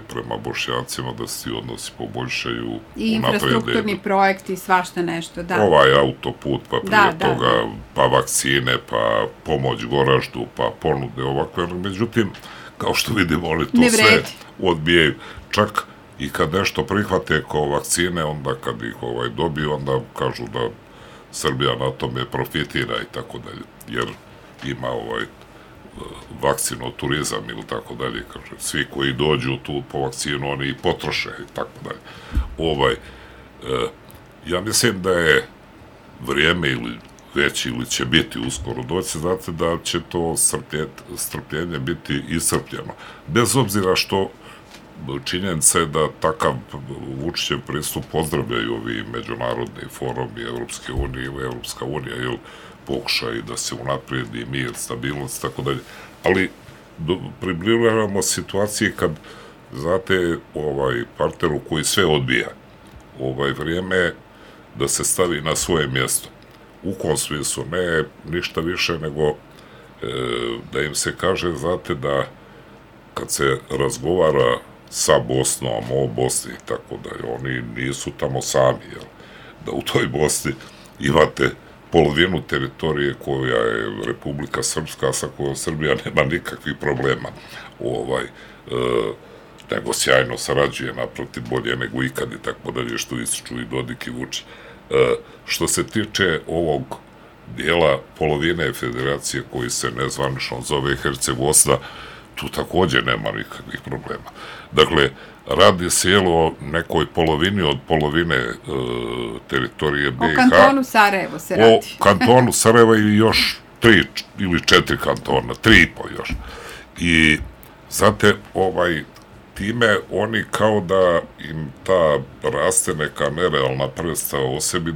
prema Bošnjacima da se ti odnosi poboljšaju, i infrastrukturni projekti, svašta nešto, da. Ovaj autoput, pa prije toga, pa vakcine, pa pomoć Goraždu, pa ponude ovakve. Međutim, kao što vidimo, oni to sve odbijaju. Čak i kad nešto prihvate kao vakcine, onda kad ih dobiju, onda kažu da Srbija na tome profitira i tako dalje. Jer ima vakcino turizam ili tako dalje, kaže, svi koji dođu tu po vakcinu, oni i potroše i tako dalje. Ja mislim da je vrijeme ili će biti uskoro doći, znate da će to strpljenje biti iscrpljeno. Bez obzira što činjenica je da takav Vučićev pristup pozdravljaju ovi međunarodni forumi Evropske unije ili Evropska unija, jer pokušaj da se unaprijedi mir, stabilnost, tako dalje. Ali približavamo situaciji kad, znate, partneru koji sve odbija, vrijeme da se stavi na svoje mjesto. U kom smislu, ne ništa više nego da im se kaže, znate, da kad se razgovara sa Bosnom, o Bosni i tako dalje, oni nisu tamo sami, jel? Da u toj Bosni imate polovinu teritorije koja je Republika Srpska, sa kojom Srbija nema nikakvih problema, nego sjajno sarađuje, naprotiv, bolje nego ikad i tako dalje, što ističu i Dodik i Vučić. Što se tiče ovog dijela polovine federacije koji se nezvanično zove Herceg-Bosna, tu također nema nikakvih problema. Dakle, radi se o nekoj polovini od polovine teritorije BiH. O kantonu Sarajevo se radi. O kantonu Sarajeva i još 3 ili 4 kantona, 3,5 još. I, znate, time oni kao da im ta raste neka nerealna predstava o sebi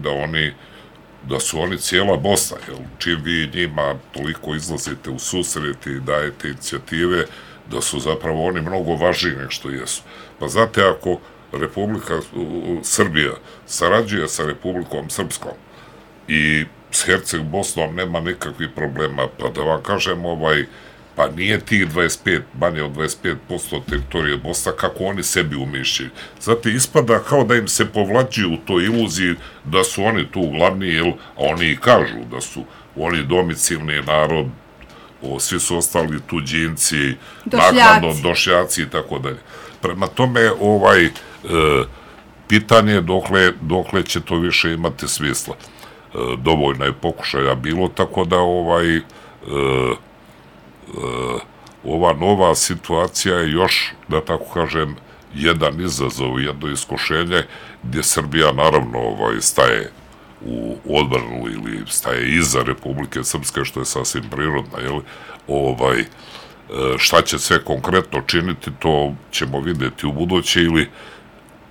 da su oni cijela Bosna, jer čim vi njima toliko izlazite u susret i dajete inicijative, da su zapravo oni mnogo važniji nego što jesu. Pa znate, ako Republika Srbija sarađuje sa Republikom Srpskom i s Herceg-Bosnom nema nikakvih problema, pa da vam kažem, pa nije tih 25, manje od 25% teritorije Bosna, kako oni sebi umišljaju. Znate, ispada kao da im se povlađuju u toj iluziji da su oni tu glavni, a oni i kažu da su oni domicilni narod, svi su ostali tuđinci, nakladno došljaci i tako dalje. Prema tome, pitanje je dokle će to više imati smisla. Dovoljno je pokušaja bilo, tako da ova nova situacija je još, da tako kažem, jedan izazov, jedno iskušenje gdje Srbija naravno staje u odbranu ili staje iza Republike Srpske, što je sasvim prirodno, jel? Šta će sve konkretno činiti, to ćemo vidjeti u buduće ili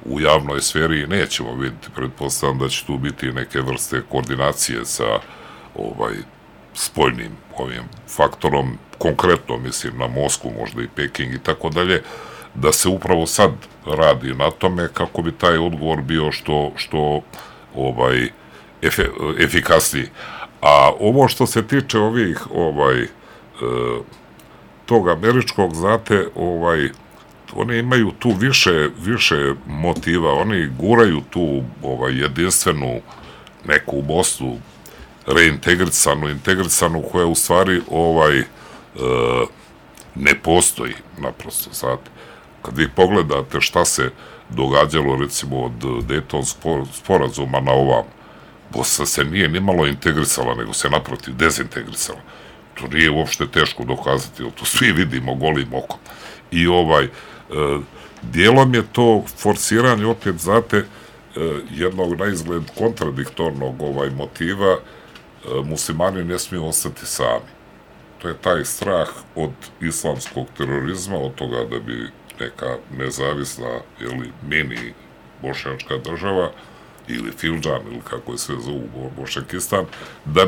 u javnoj sferi i nećemo vidjeti. Pretpostavljam da će tu biti neke vrste koordinacije sa spoljnim ovim faktorom, konkretno mislim na Moskvu, možda i Peking i tako dalje, da se upravo sad radi na tome kako bi taj odgovor bio što efikasniji. A ovo što se tiče ovih tog američkog, znate, oni imaju tu više motiva, oni guraju tu jedinstvenu neku Bosnu integrisanu koja u stvari ne postoji naprosto, znate. Kad vi pogledate šta se događalo recimo od Dejtonskog sporazuma na ovam, Bosna se nije nimalo integrisala, nego se naprotiv dezintegrisala. To nije uopšte teško dokazati, to svi vidimo golim okom. I dijelom je to forsiranje, opet znate, jednog na izgled kontradiktornog motiva, muslimani ne smiju ostati sami. To je taj strah od islamskog terorizma, od toga da bi neka nezavisna mini bošnjačka država ili Fildžan ili kako je sve zovu Bošnjakistan, da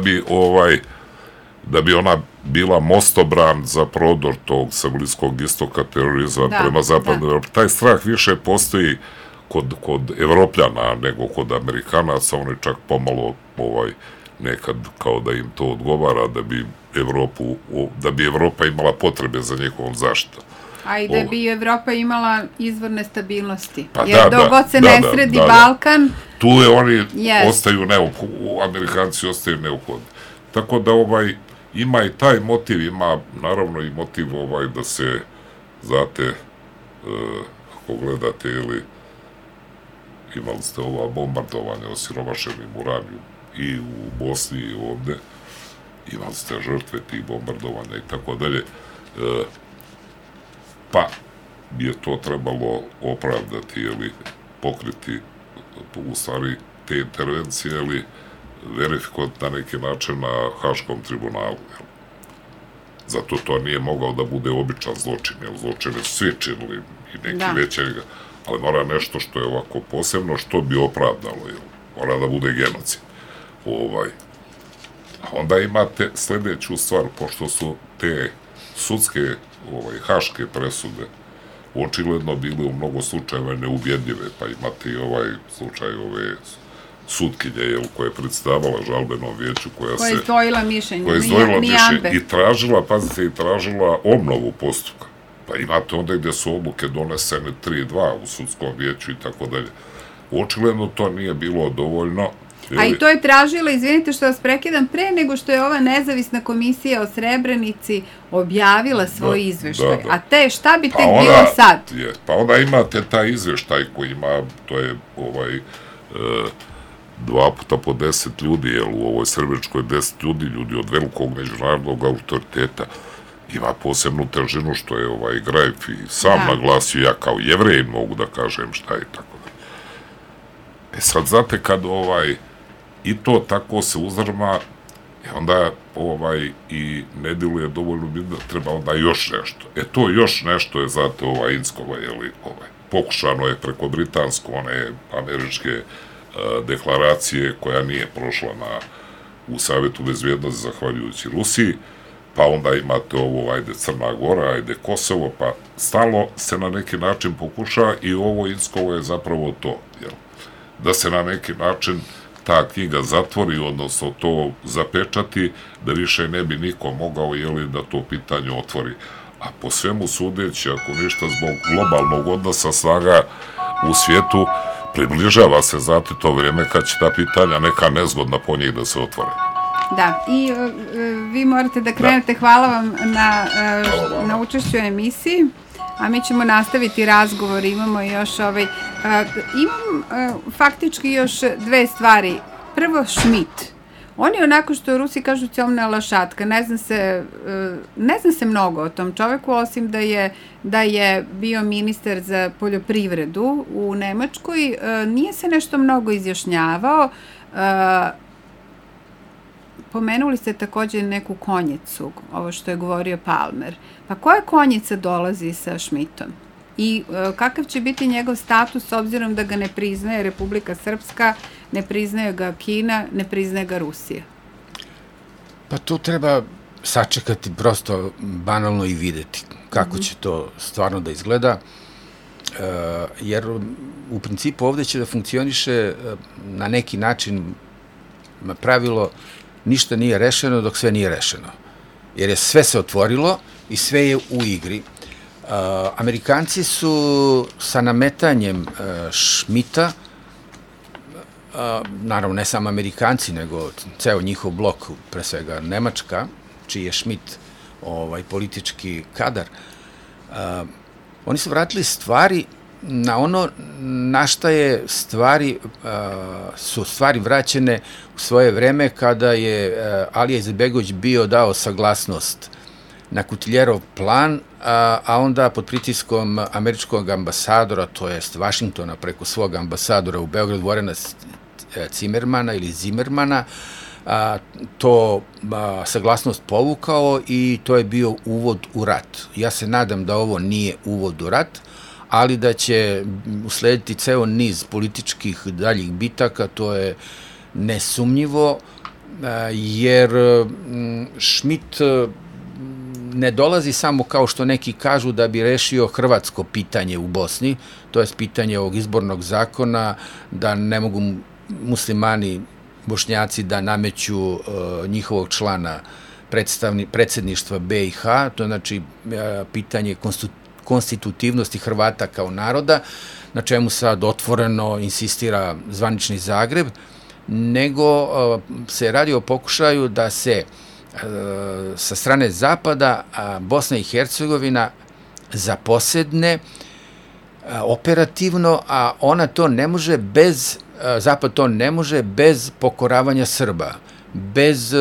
bi ona bila mostobran za prodor tog sa Bliskog istoka terorizma prema zapadnoj Evropi. Taj strah više postoji kod Evropljana nego kod Amerikanaca, oni čak pomalo nekad kao da im to odgovara da bi Evropa imala potrebe za njihovom zaštitom. A i da bi Evropa imala izvorne stabilnosti. Jer dok god se ne sredi Balkan... Tu je oni ostaju neophodni, Amerikanci ostaju neophodni. Tako da ima i taj motiv, ima naravno i motiv da se, znate, ako gledate ili imali ste ova bombardovanja osiromašenim uranijom i u Bosni i ovde, imali ste žrtve tih bombardovanja i tako dalje, pa je to trebalo opravdati ili pokriti u stvari te intervencije ili verifikovati na neki način na Haškom tribunalu. Zato to nije mogao da bude običan zločin, jer zločine su svi činili i neki veće, ali mora nešto što je ovako posebno, što bi opravdalo, mora da bude genocid. A onda imate sledeću stvar, pošto su te sudske haške presude očigledno bile u mnogo slučajeva neubjedljive, pa imate i slučaj ove sutkinje koja je predstavala žalbenom vijeću koja je izdvojila mišljenje i tražila obnovu postupka. Pa imate onda gde su odluke donesene 3-2 u sudskom vijeću i tako dalje. Očigledno to nije bilo dovoljno. A i to je tražila, izvinite što vas prekidam, pre nego što je ova nezavisna komisija o Srebrenici objavila svoj izveštaj. A šta bi tek bilo sad? Pa onda imate taj izveštaj koji ima, to je 2 puta po 10 ljudi, jer u ovoj Srebreničkoj 10 ljudi od velikog međunarodnog autoriteta, ima posebnu težinu što je Grajf i sam naglasio, ja kao Jevrej mogu da kažem šta je tako da. Sad znate kad i to tako se uzdrma, onda i ne djeluje dovoljno bitno, treba onda još nešto. To još nešto je, znate, Inckova, pokušano je preko britansko, one američke deklaracije koja nije prošla u Savjetu bezbjednosti zahvaljujući Rusiji, pa onda imate ovo, Crna Gora, Kosovo, pa stalno se na neki način pokuša i ovo Inckovo je zapravo to, da se na neki način ta knjiga zatvori, odnosno to zapečati, da više ne bi niko mogao da to pitanje otvori. A po svemu sudeći, ako ništa zbog globalnog odnosa snaga u svijetu, približava se, znate, to vrijeme kad će ta pitanja neka nezgodna po njih da se otvore. Da, i vi morate da krenete. Hvala vam na učešću u emisiji. A mi ćemo nastaviti razgovor, imamo još imam faktički još dve stvari. Prvo, Schmidt. On je onako što u Rusiji kažu ćomna lašatka, ne zna se mnogo o tom čoveku, osim da je bio ministar za poljoprivredu u Nemačkoj, nije se nešto mnogo izjašnjavao, Pomenuli ste takođe neku konjicu, ovo što je govorio Palmer. Pa koja konjica dolazi sa Schmidtom? I kakav će biti njegov status s obzirom da ga ne priznaje Republika Srpska, ne priznaje ga Kina, ne priznaje ga Rusija? Pa tu treba sačekati prosto banalno i videti kako će to stvarno da izgleda, jer u principu ovde će da funkcioniše na neki način pravilo ništa nije rešeno dok sve nije rešeno. Jer je sve se otvorilo i sve je u igri. Amerikanci su sa nametanjem Schmidta, naravno ne samo Amerikanci, nego ceo njihov blok, pre svega Nemačka, čiji je Schmidt politički kadar, oni su vratili stvari na ono na šta je su stvari vraćene u svoje vreme kada je Alija Izetbegović bio dao saglasnost na Kutiljerov plan, a onda pod pritiskom američkog ambasadora, to jest Vašingtona preko svog ambasadora u Beogradu, Vorena Cimermana ili Zimmermana, to saglasnost povukao i to je bio uvod u rat. Ja se nadam da ovo nije uvod u rat, ali da će uslediti ceo niz političkih daljih bitaka, to je nesumnjivo, jer Schmidt ne dolazi samo kao što neki kažu da bi rešio hrvatsko pitanje u Bosni, to je pitanje ovog izbornog zakona, da ne mogu muslimani, Bošnjaci da nameću njihovog člana predsedništva BiH, to je znači pitanje konstitutivnosti Hrvata kao naroda, na čemu sad otvoreno insistira zvanični Zagreb, nego se radi o pokušaju da se sa strane Zapada Bosna i Hercegovina zaposedne operativno, a ona to ne može bez, Zapad to ne može bez pokoravanja Srba, bez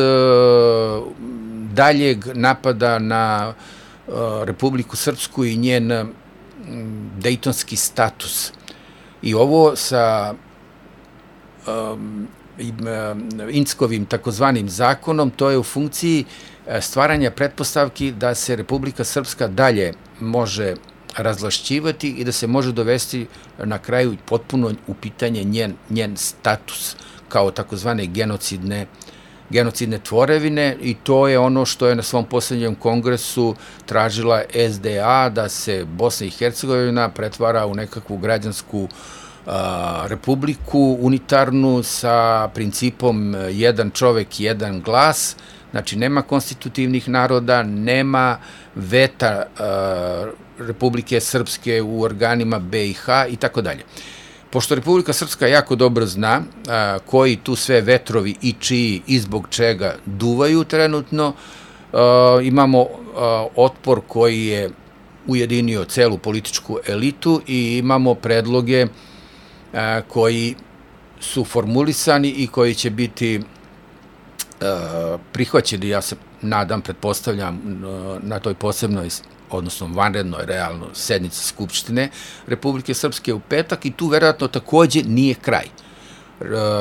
daljeg napada na Republiku Srpsku i njen dejtonski status. I ovo sa Inckovim takozvanim zakonom, to je u funkciji stvaranja pretpostavki da se Republika Srpska dalje može razvlašćivati i da se može dovesti na kraju potpuno u pitanje njen status kao takozvane genocidne tvorevine, i to je ono što je na svom posljednjem kongresu tražila SDA, da se Bosna i Hercegovina pretvara u nekakvu građansku republiku unitarnu sa principom jedan čovek, jedan glas. Znači, nema konstitutivnih naroda, nema veta Republike Srpske u organima BiH i tako dalje. Pošto Republika Srpska jako dobro zna koji tu sve vetrovi i čiji i zbog čega duvaju trenutno, imamo otpor koji je ujedinio celu političku elitu i imamo predloge koji su formulisani i koji će biti prihvaćeni, ja se nadam, pretpostavljam, na toj posebnoj, odnosno vanrednoj, realno, sednici Skupštine Republike Srpske u petak, i tu verovatno takođe nije kraj.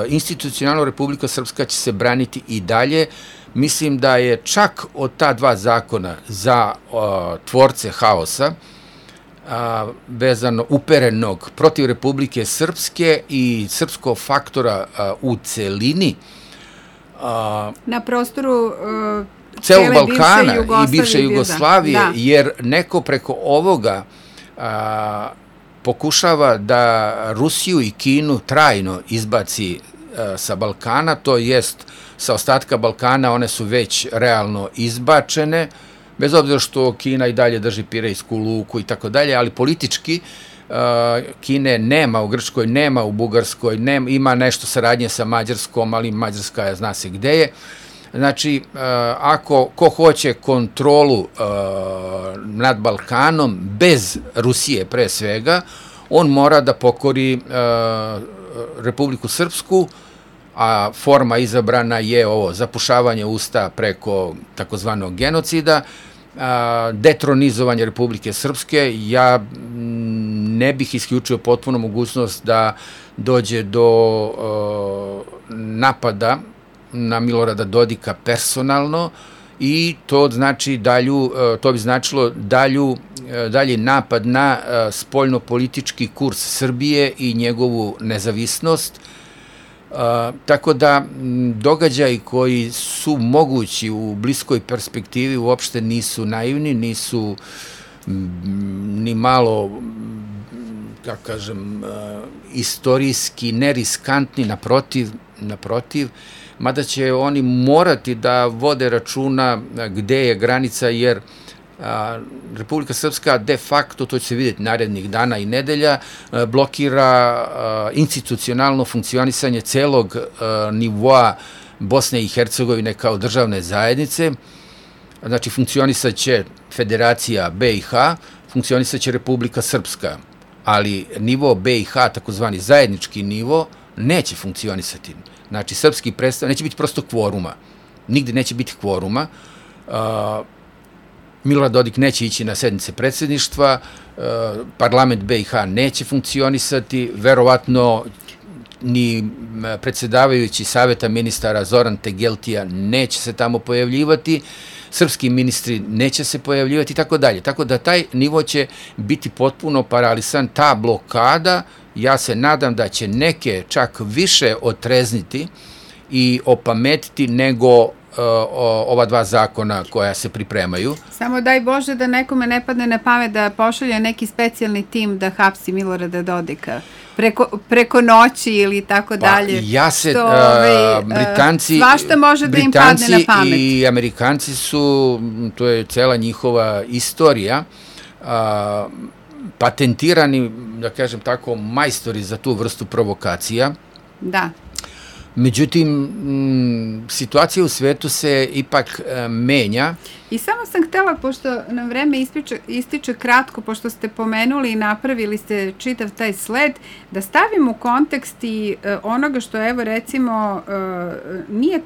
Institucionalno Republika Srpska će se braniti i dalje. Mislim da je čak od ta dva zakona za tvorce haosa, vezano uperenog protiv Republike Srpske i srpskog faktora u celini, na prostoru celog Balkana i bivše Jugoslavije, jer neko preko ovoga pokušava da Rusiju i Kinu trajno izbaci sa Balkana, to jest sa ostatka Balkana one su već realno izbačene, bez obzira što Kina i dalje drži Pirejsku luku i tako dalje, ali politički Kine nema u Grčkoj, nema u Bugarskoj, ima nešto saradnje sa Mađarskom, ali Mađarska je, zna se gde je. Znači, ko hoće kontrolu nad Balkanom, bez Rusije pre svega, on mora da pokori Republiku Srpsku, a forma izabrana je ovo zapušavanje usta preko takozvanog genocida, detronizovanje Republike Srpske. Ja ne bih isključio potpuno mogućnost da dođe do napada na Milorada Dodika personalno i to bi značilo dalji napad na spoljnopolitički kurs Srbije i njegovu nezavisnost. Tako da događaji koji su mogući u bliskoj perspektivi uopšte nisu naivni, nisu ni malo, kako kažem, istorijski neriskantni, naprotiv, mada će oni morati da vode računa gde je granica, jer Republika Srpska de facto, to će se vidjeti narednih dana i nedelja, blokira institucionalno funkcionisanje celog nivoa Bosne i Hercegovine kao državne zajednice. Znači, funkcionisat će Federacija BiH, funkcionisat će Republika Srpska, ali nivo BiH, takozvani zajednički nivo, neće funkcionisati. Znači, srpski predstavnik, neće biti prosto kvoruma. Nigde neće biti kvoruma. Milorad Dodik neće ići na sednice predsjedništva, parlament BiH neće funkcionisati, verovatno ni predsjedavajući saveta ministara Zoran Tegeltija neće se tamo pojavljivati, srpski ministri neće se pojavljivati i tako dalje. Tako da taj nivo će biti potpuno paralisan, ta blokada, ja se nadam da će neke čak više otrezniti i opametiti nego ova dva zakona koja se pripremaju. Samo daj Bože da nekome ne padne na pamet da pošalje neki specijalni tim da hapsi Milorada Dodika preko noći ili tako dalje. Ja se, Britanci, svašta može da im padne na pamet. I Amerikanci su, to je cela njihova istorija, patentirani, da kažem tako, majstori za tu vrstu provokacija. Da. Međutim, situacija u svetu se ipak menja. I samo sam htela, pošto nam vreme ističe kratko, pošto ste pomenuli i napravili ste čitav taj sled, da stavim u kontekst i onoga što, evo recimo, nije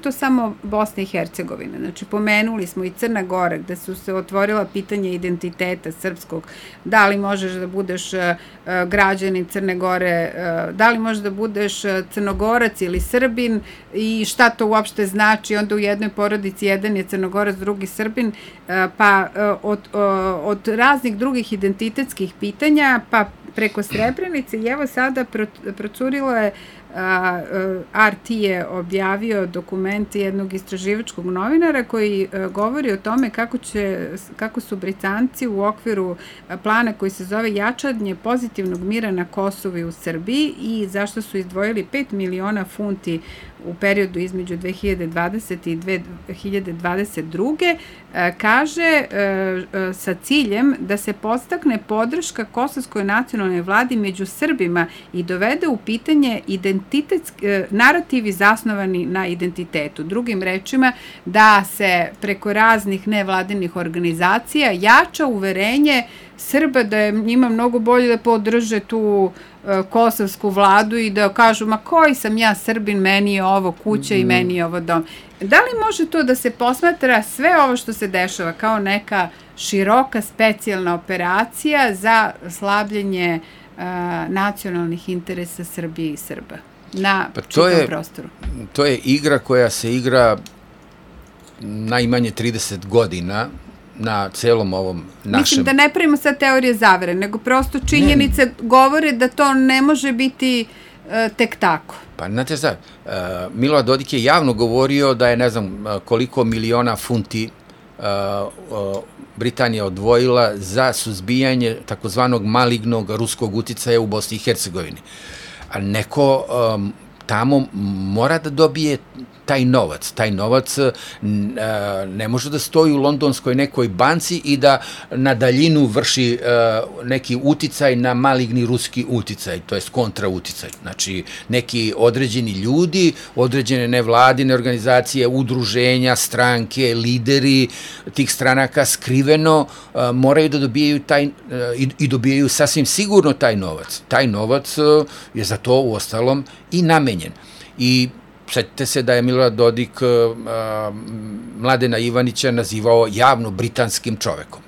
to samo Bosna i Hercegovina. Znači, pomenuli smo i Crna Gora, gde su se otvorila pitanja identiteta srpskog. Da li možeš da budeš građanin Crne Gore, da li možeš da budeš Crnogorac ili Srbin i šta to uopšte znači. Onda u jednoj porodici jedan je Crnogorac, drugi Srbin, pa od raznih drugih identitetskih pitanja, pa preko Srebrenice. I evo sada procurilo je, RT je objavio dokument jednog istraživačkog novinara koji govori o tome kako su Britanci u okviru plana koji se zove jačanje pozitivnog mira na Kosovu i u Srbiji i zašto su izdvojili 5 miliona funti u periodu između 2020. i 2022. Kaže sa ciljem da se podstakne podrška kosovskoj nacionalnoj vladi među Srbima i dovede u pitanje narativi zasnovani na identitetu. Drugim rečima, da se preko raznih nevladinih organizacija jača uverenje Srba da je njima mnogo bolje da podrže tu kosovsku vladu i da kažu, ma koji sam ja Srbin, meni je ovo kuća i meni je ovo dom. Da li može to da se posmatra sve ovo što se dešava kao neka široka specijalna operacija za slabljenje nacionalnih interesa Srbije i Srba na čitavom prostoru? To je igra koja se igra najmanje 30 godina na celom ovom našem... Mislim da ne pravimo sad teorije zavere, nego prosto činjenice govore da to ne može biti tek tako. Pa, znate šta, Milorad Dodik je javno govorio da je ne znam koliko miliona funti Britanija odvojila za suzbijanje takozvanog malignog ruskog uticaja u Bosni i Hercegovini. A neko tamo mora da dobije taj novac. Taj novac ne može da stoji u londonskoj nekoj banci i da na daljinu vrši neki uticaj na maligni ruski uticaj, to jest kontrauticaj. Znači, neki određeni ljudi, određene nevladine organizacije, udruženja, stranke, lideri tih stranaka skriveno moraju da dobijaju i dobijaju sasvim sigurno taj novac. Taj novac je za to u ostalom i namenjen. I sjetite se da je Milorad Dodik Mladena Ivanića nazivao javno britanskim čovekom.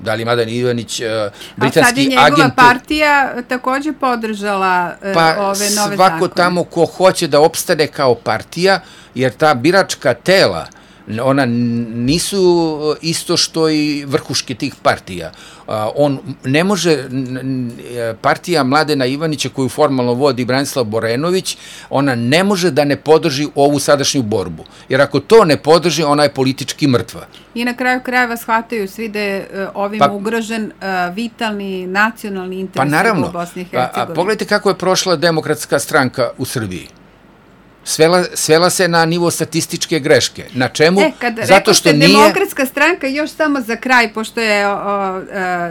Da li Mladen Ivanić, britanski agent... A sad je njegova agent... partija takođe podržala ove nove zakone. Pa svako tamo ko hoće da opstane kao partija, jer ta biračka tela, ona nisu isto što i vrhuške tih partija. On ne može, partija Mladena Ivanića koju formalno vodi Branislav Borenović, ona ne može da ne podrži ovu sadašnju borbu. Jer ako to ne podrži, ona je politički mrtva. I na kraju krajeva shvataju svi da je ovim ugrožen vitalni nacionalni interes u Bosni i Hercegovini. Pogledajte kako je prošla Demokratska stranka u Srbiji. Svela se na nivo statističke greške. Na čemu? Zato što nije... Demokratska stranka, još samo za kraj, pošto je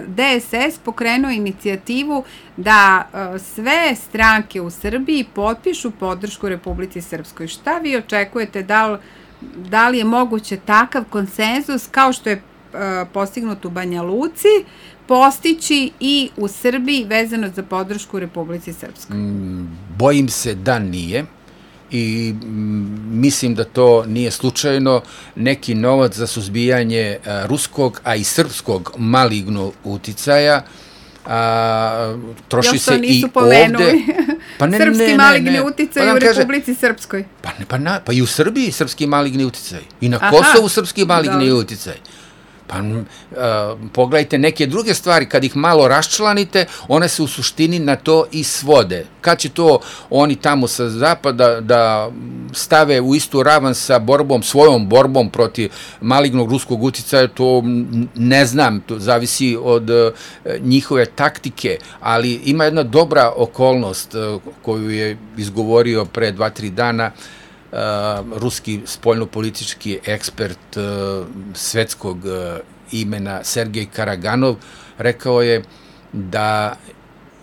DSS pokrenuo inicijativu da sve stranke u Srbiji potpišu podršku Republici Srpskoj. Šta vi očekujete? Da li je moguće takav konsenzus kao što je postignut u Banja Luci postići i u Srbiji vezano za podršku Republici Srpskoj? Bojim se da nije. I mislim da to nije slučajno. Neki novac za suzbijanje ruskog, a i srpskog malignog uticaja troši se i ovde. Srpski maligni uticaj u Republici Srpskoj. Pa i u Srbiji srpski maligni uticaj. I na Kosovu srpski maligni uticaj. Pa pogledajte neke druge stvari, kad ih malo raščlanite, one se u suštini na to i svode. Kad će to oni tamo sa zapada da stave u istu ravan sa svojom borbom protiv malignog ruskog uticaja, to ne znam, to zavisi od njihove taktike, ali ima jedna dobra okolnost koju je izgovorio pre 2-3 dana ruski spoljnopolitički ekspert svetskog imena Sergej Karaganov. Rekao je da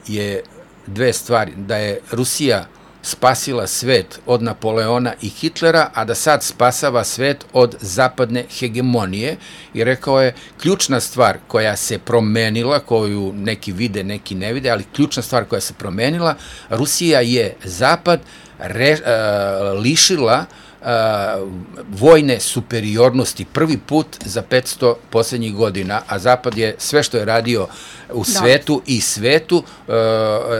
je dve stvari, da je Rusija spasila svet od Napoleona i Hitlera, a da sad spasava svet od zapadne hegemonije, i rekao je ključna stvar koja se promenila, koju neki vide, neki ne vide, ali ključna stvar koja se promenila, Rusija je zapad lišila vojne superiornosti prvi put za 500 poslednjih godina, a Zapad je sve što je radio u svetu i svetu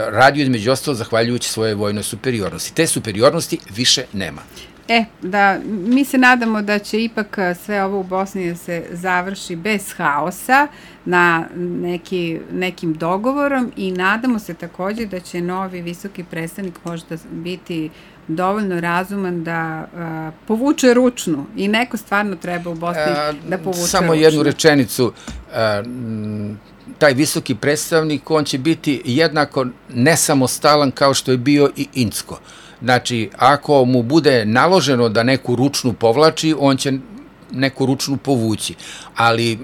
radio između ostalo zahvaljujući svoje vojnoj superiornosti. Te superiornosti više nema. Mi se nadamo da će ipak sve ovo u Bosni da se završi bez haosa na nekim dogovorom i nadamo se takođe da će novi visoki predstavnik možda biti dovoljno razuman da povuče ručnu i neko stvarno treba u Bosni da povuče ručnu. Samo jednu rečenicu. Taj visoki predstavnik, on će biti jednako nesamostalan kao što je bio i Incko. Znači, ako mu bude naloženo da neku ručnu povlači, on će neku ručnu povući. Ali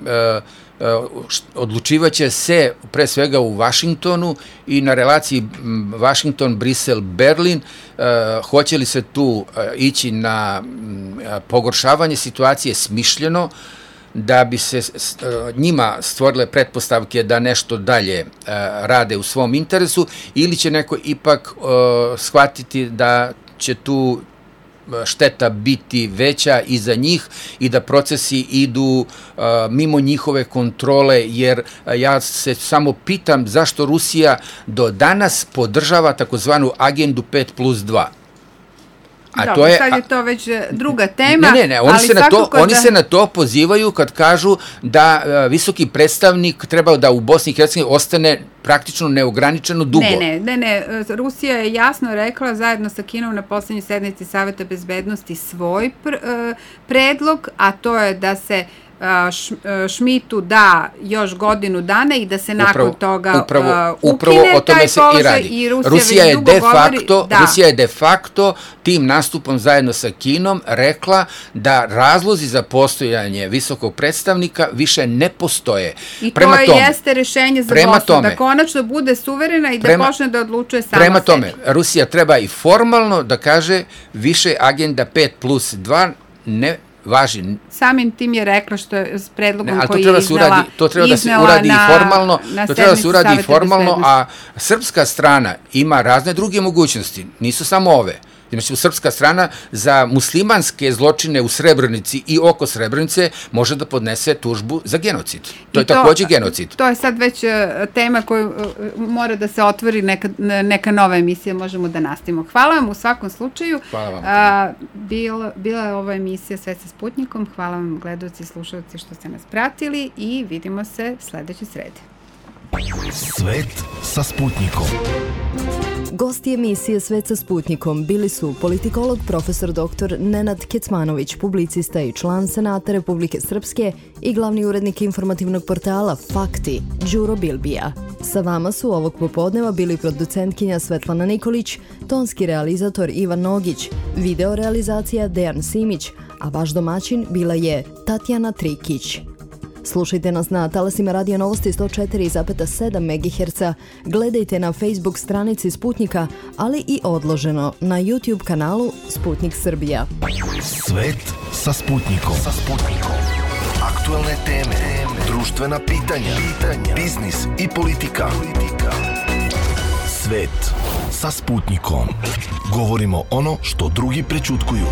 odlučivaće se pre svega u Vašingtonu i na relaciji Vašington-Brisel-Berlin. Hoće li se tu ići na pogoršavanje situacije smišljeno, da bi se njima stvorile pretpostavke da nešto dalje rade u svom interesu, ili će neko ipak shvatiti da će tu šteta biti veća i za njih i da procesi idu mimo njihove kontrole, jer ja se samo pitam zašto Rusija do danas podržava takozvanu agendu 5+2. Sad je to već druga tema. Ne, oni se na to pozivaju kad kažu da visoki predstavnik treba da u Bosni i Hercegovini ostane praktično neograničeno dugo. Ne, Rusija je jasno rekla zajedno sa Kinom na poslednjoj sednici Saveta bezbednosti svoj predlog, a to je da se Šmitu da još godinu dana i da se nakon toga ukine taj položaj i Rusija već dugo govori... Rusija je de facto tim nastupom zajedno sa Kinom rekla da razlozi za postojanje visokog predstavnika više ne postoje. I to jeste rešenje za Bosnu, da konačno bude suverena i da počne da odlučuje sama sebi. Prema tome, Rusija treba i formalno da kaže više agenda 5+2 ne važi. Samim tim je rekla što je s predlogom koji je iznela to treba da se uradi formalno, a srpska strana ima razne druge mogućnosti, nisu samo ove. Znači, srpska strana za muslimanske zločine u Srebrenici i oko Srebrenice može da podnese tužbu za genocid. To je takođe genocid. To je sad već tema koju mora da se otvori neka nova emisija, možemo da nastavimo. Hvala vam u svakom slučaju. Hvala vam. Bila je ova emisija Svet sa Sputnikom. Hvala vam, gledalci i slušalci, što ste nas pratili i vidimo se sledeće srede. Svet sa Sputnikom. Gosti emisije Svet sa Sputnikom bili su politikolog profesor dr. Nenad Kecmanović, publicista i član Senata Republike Srpske i glavni urednik informativnog portala Fakti, Đuro Bilbija. Sa vama su ovog popodneva bili producentkinja Svetlana Nikolić, tonski realizator Ivan Nogić, video realizacija Dejan Simić, a vaš domaćin bila je Tatjana Trikić. Slušajte nas na talasima Radio Novosti 104,7 MHz, gledajte na Facebook stranici Sputnika, ali i odloženo na YouTube kanalu Sputnik Srbija. Svet sa Sputnikom. Aktuelne teme, društvena pitanja, biznis i politika. Svet sa Sputnikom. Govorimo ono što drugi prećutkuju.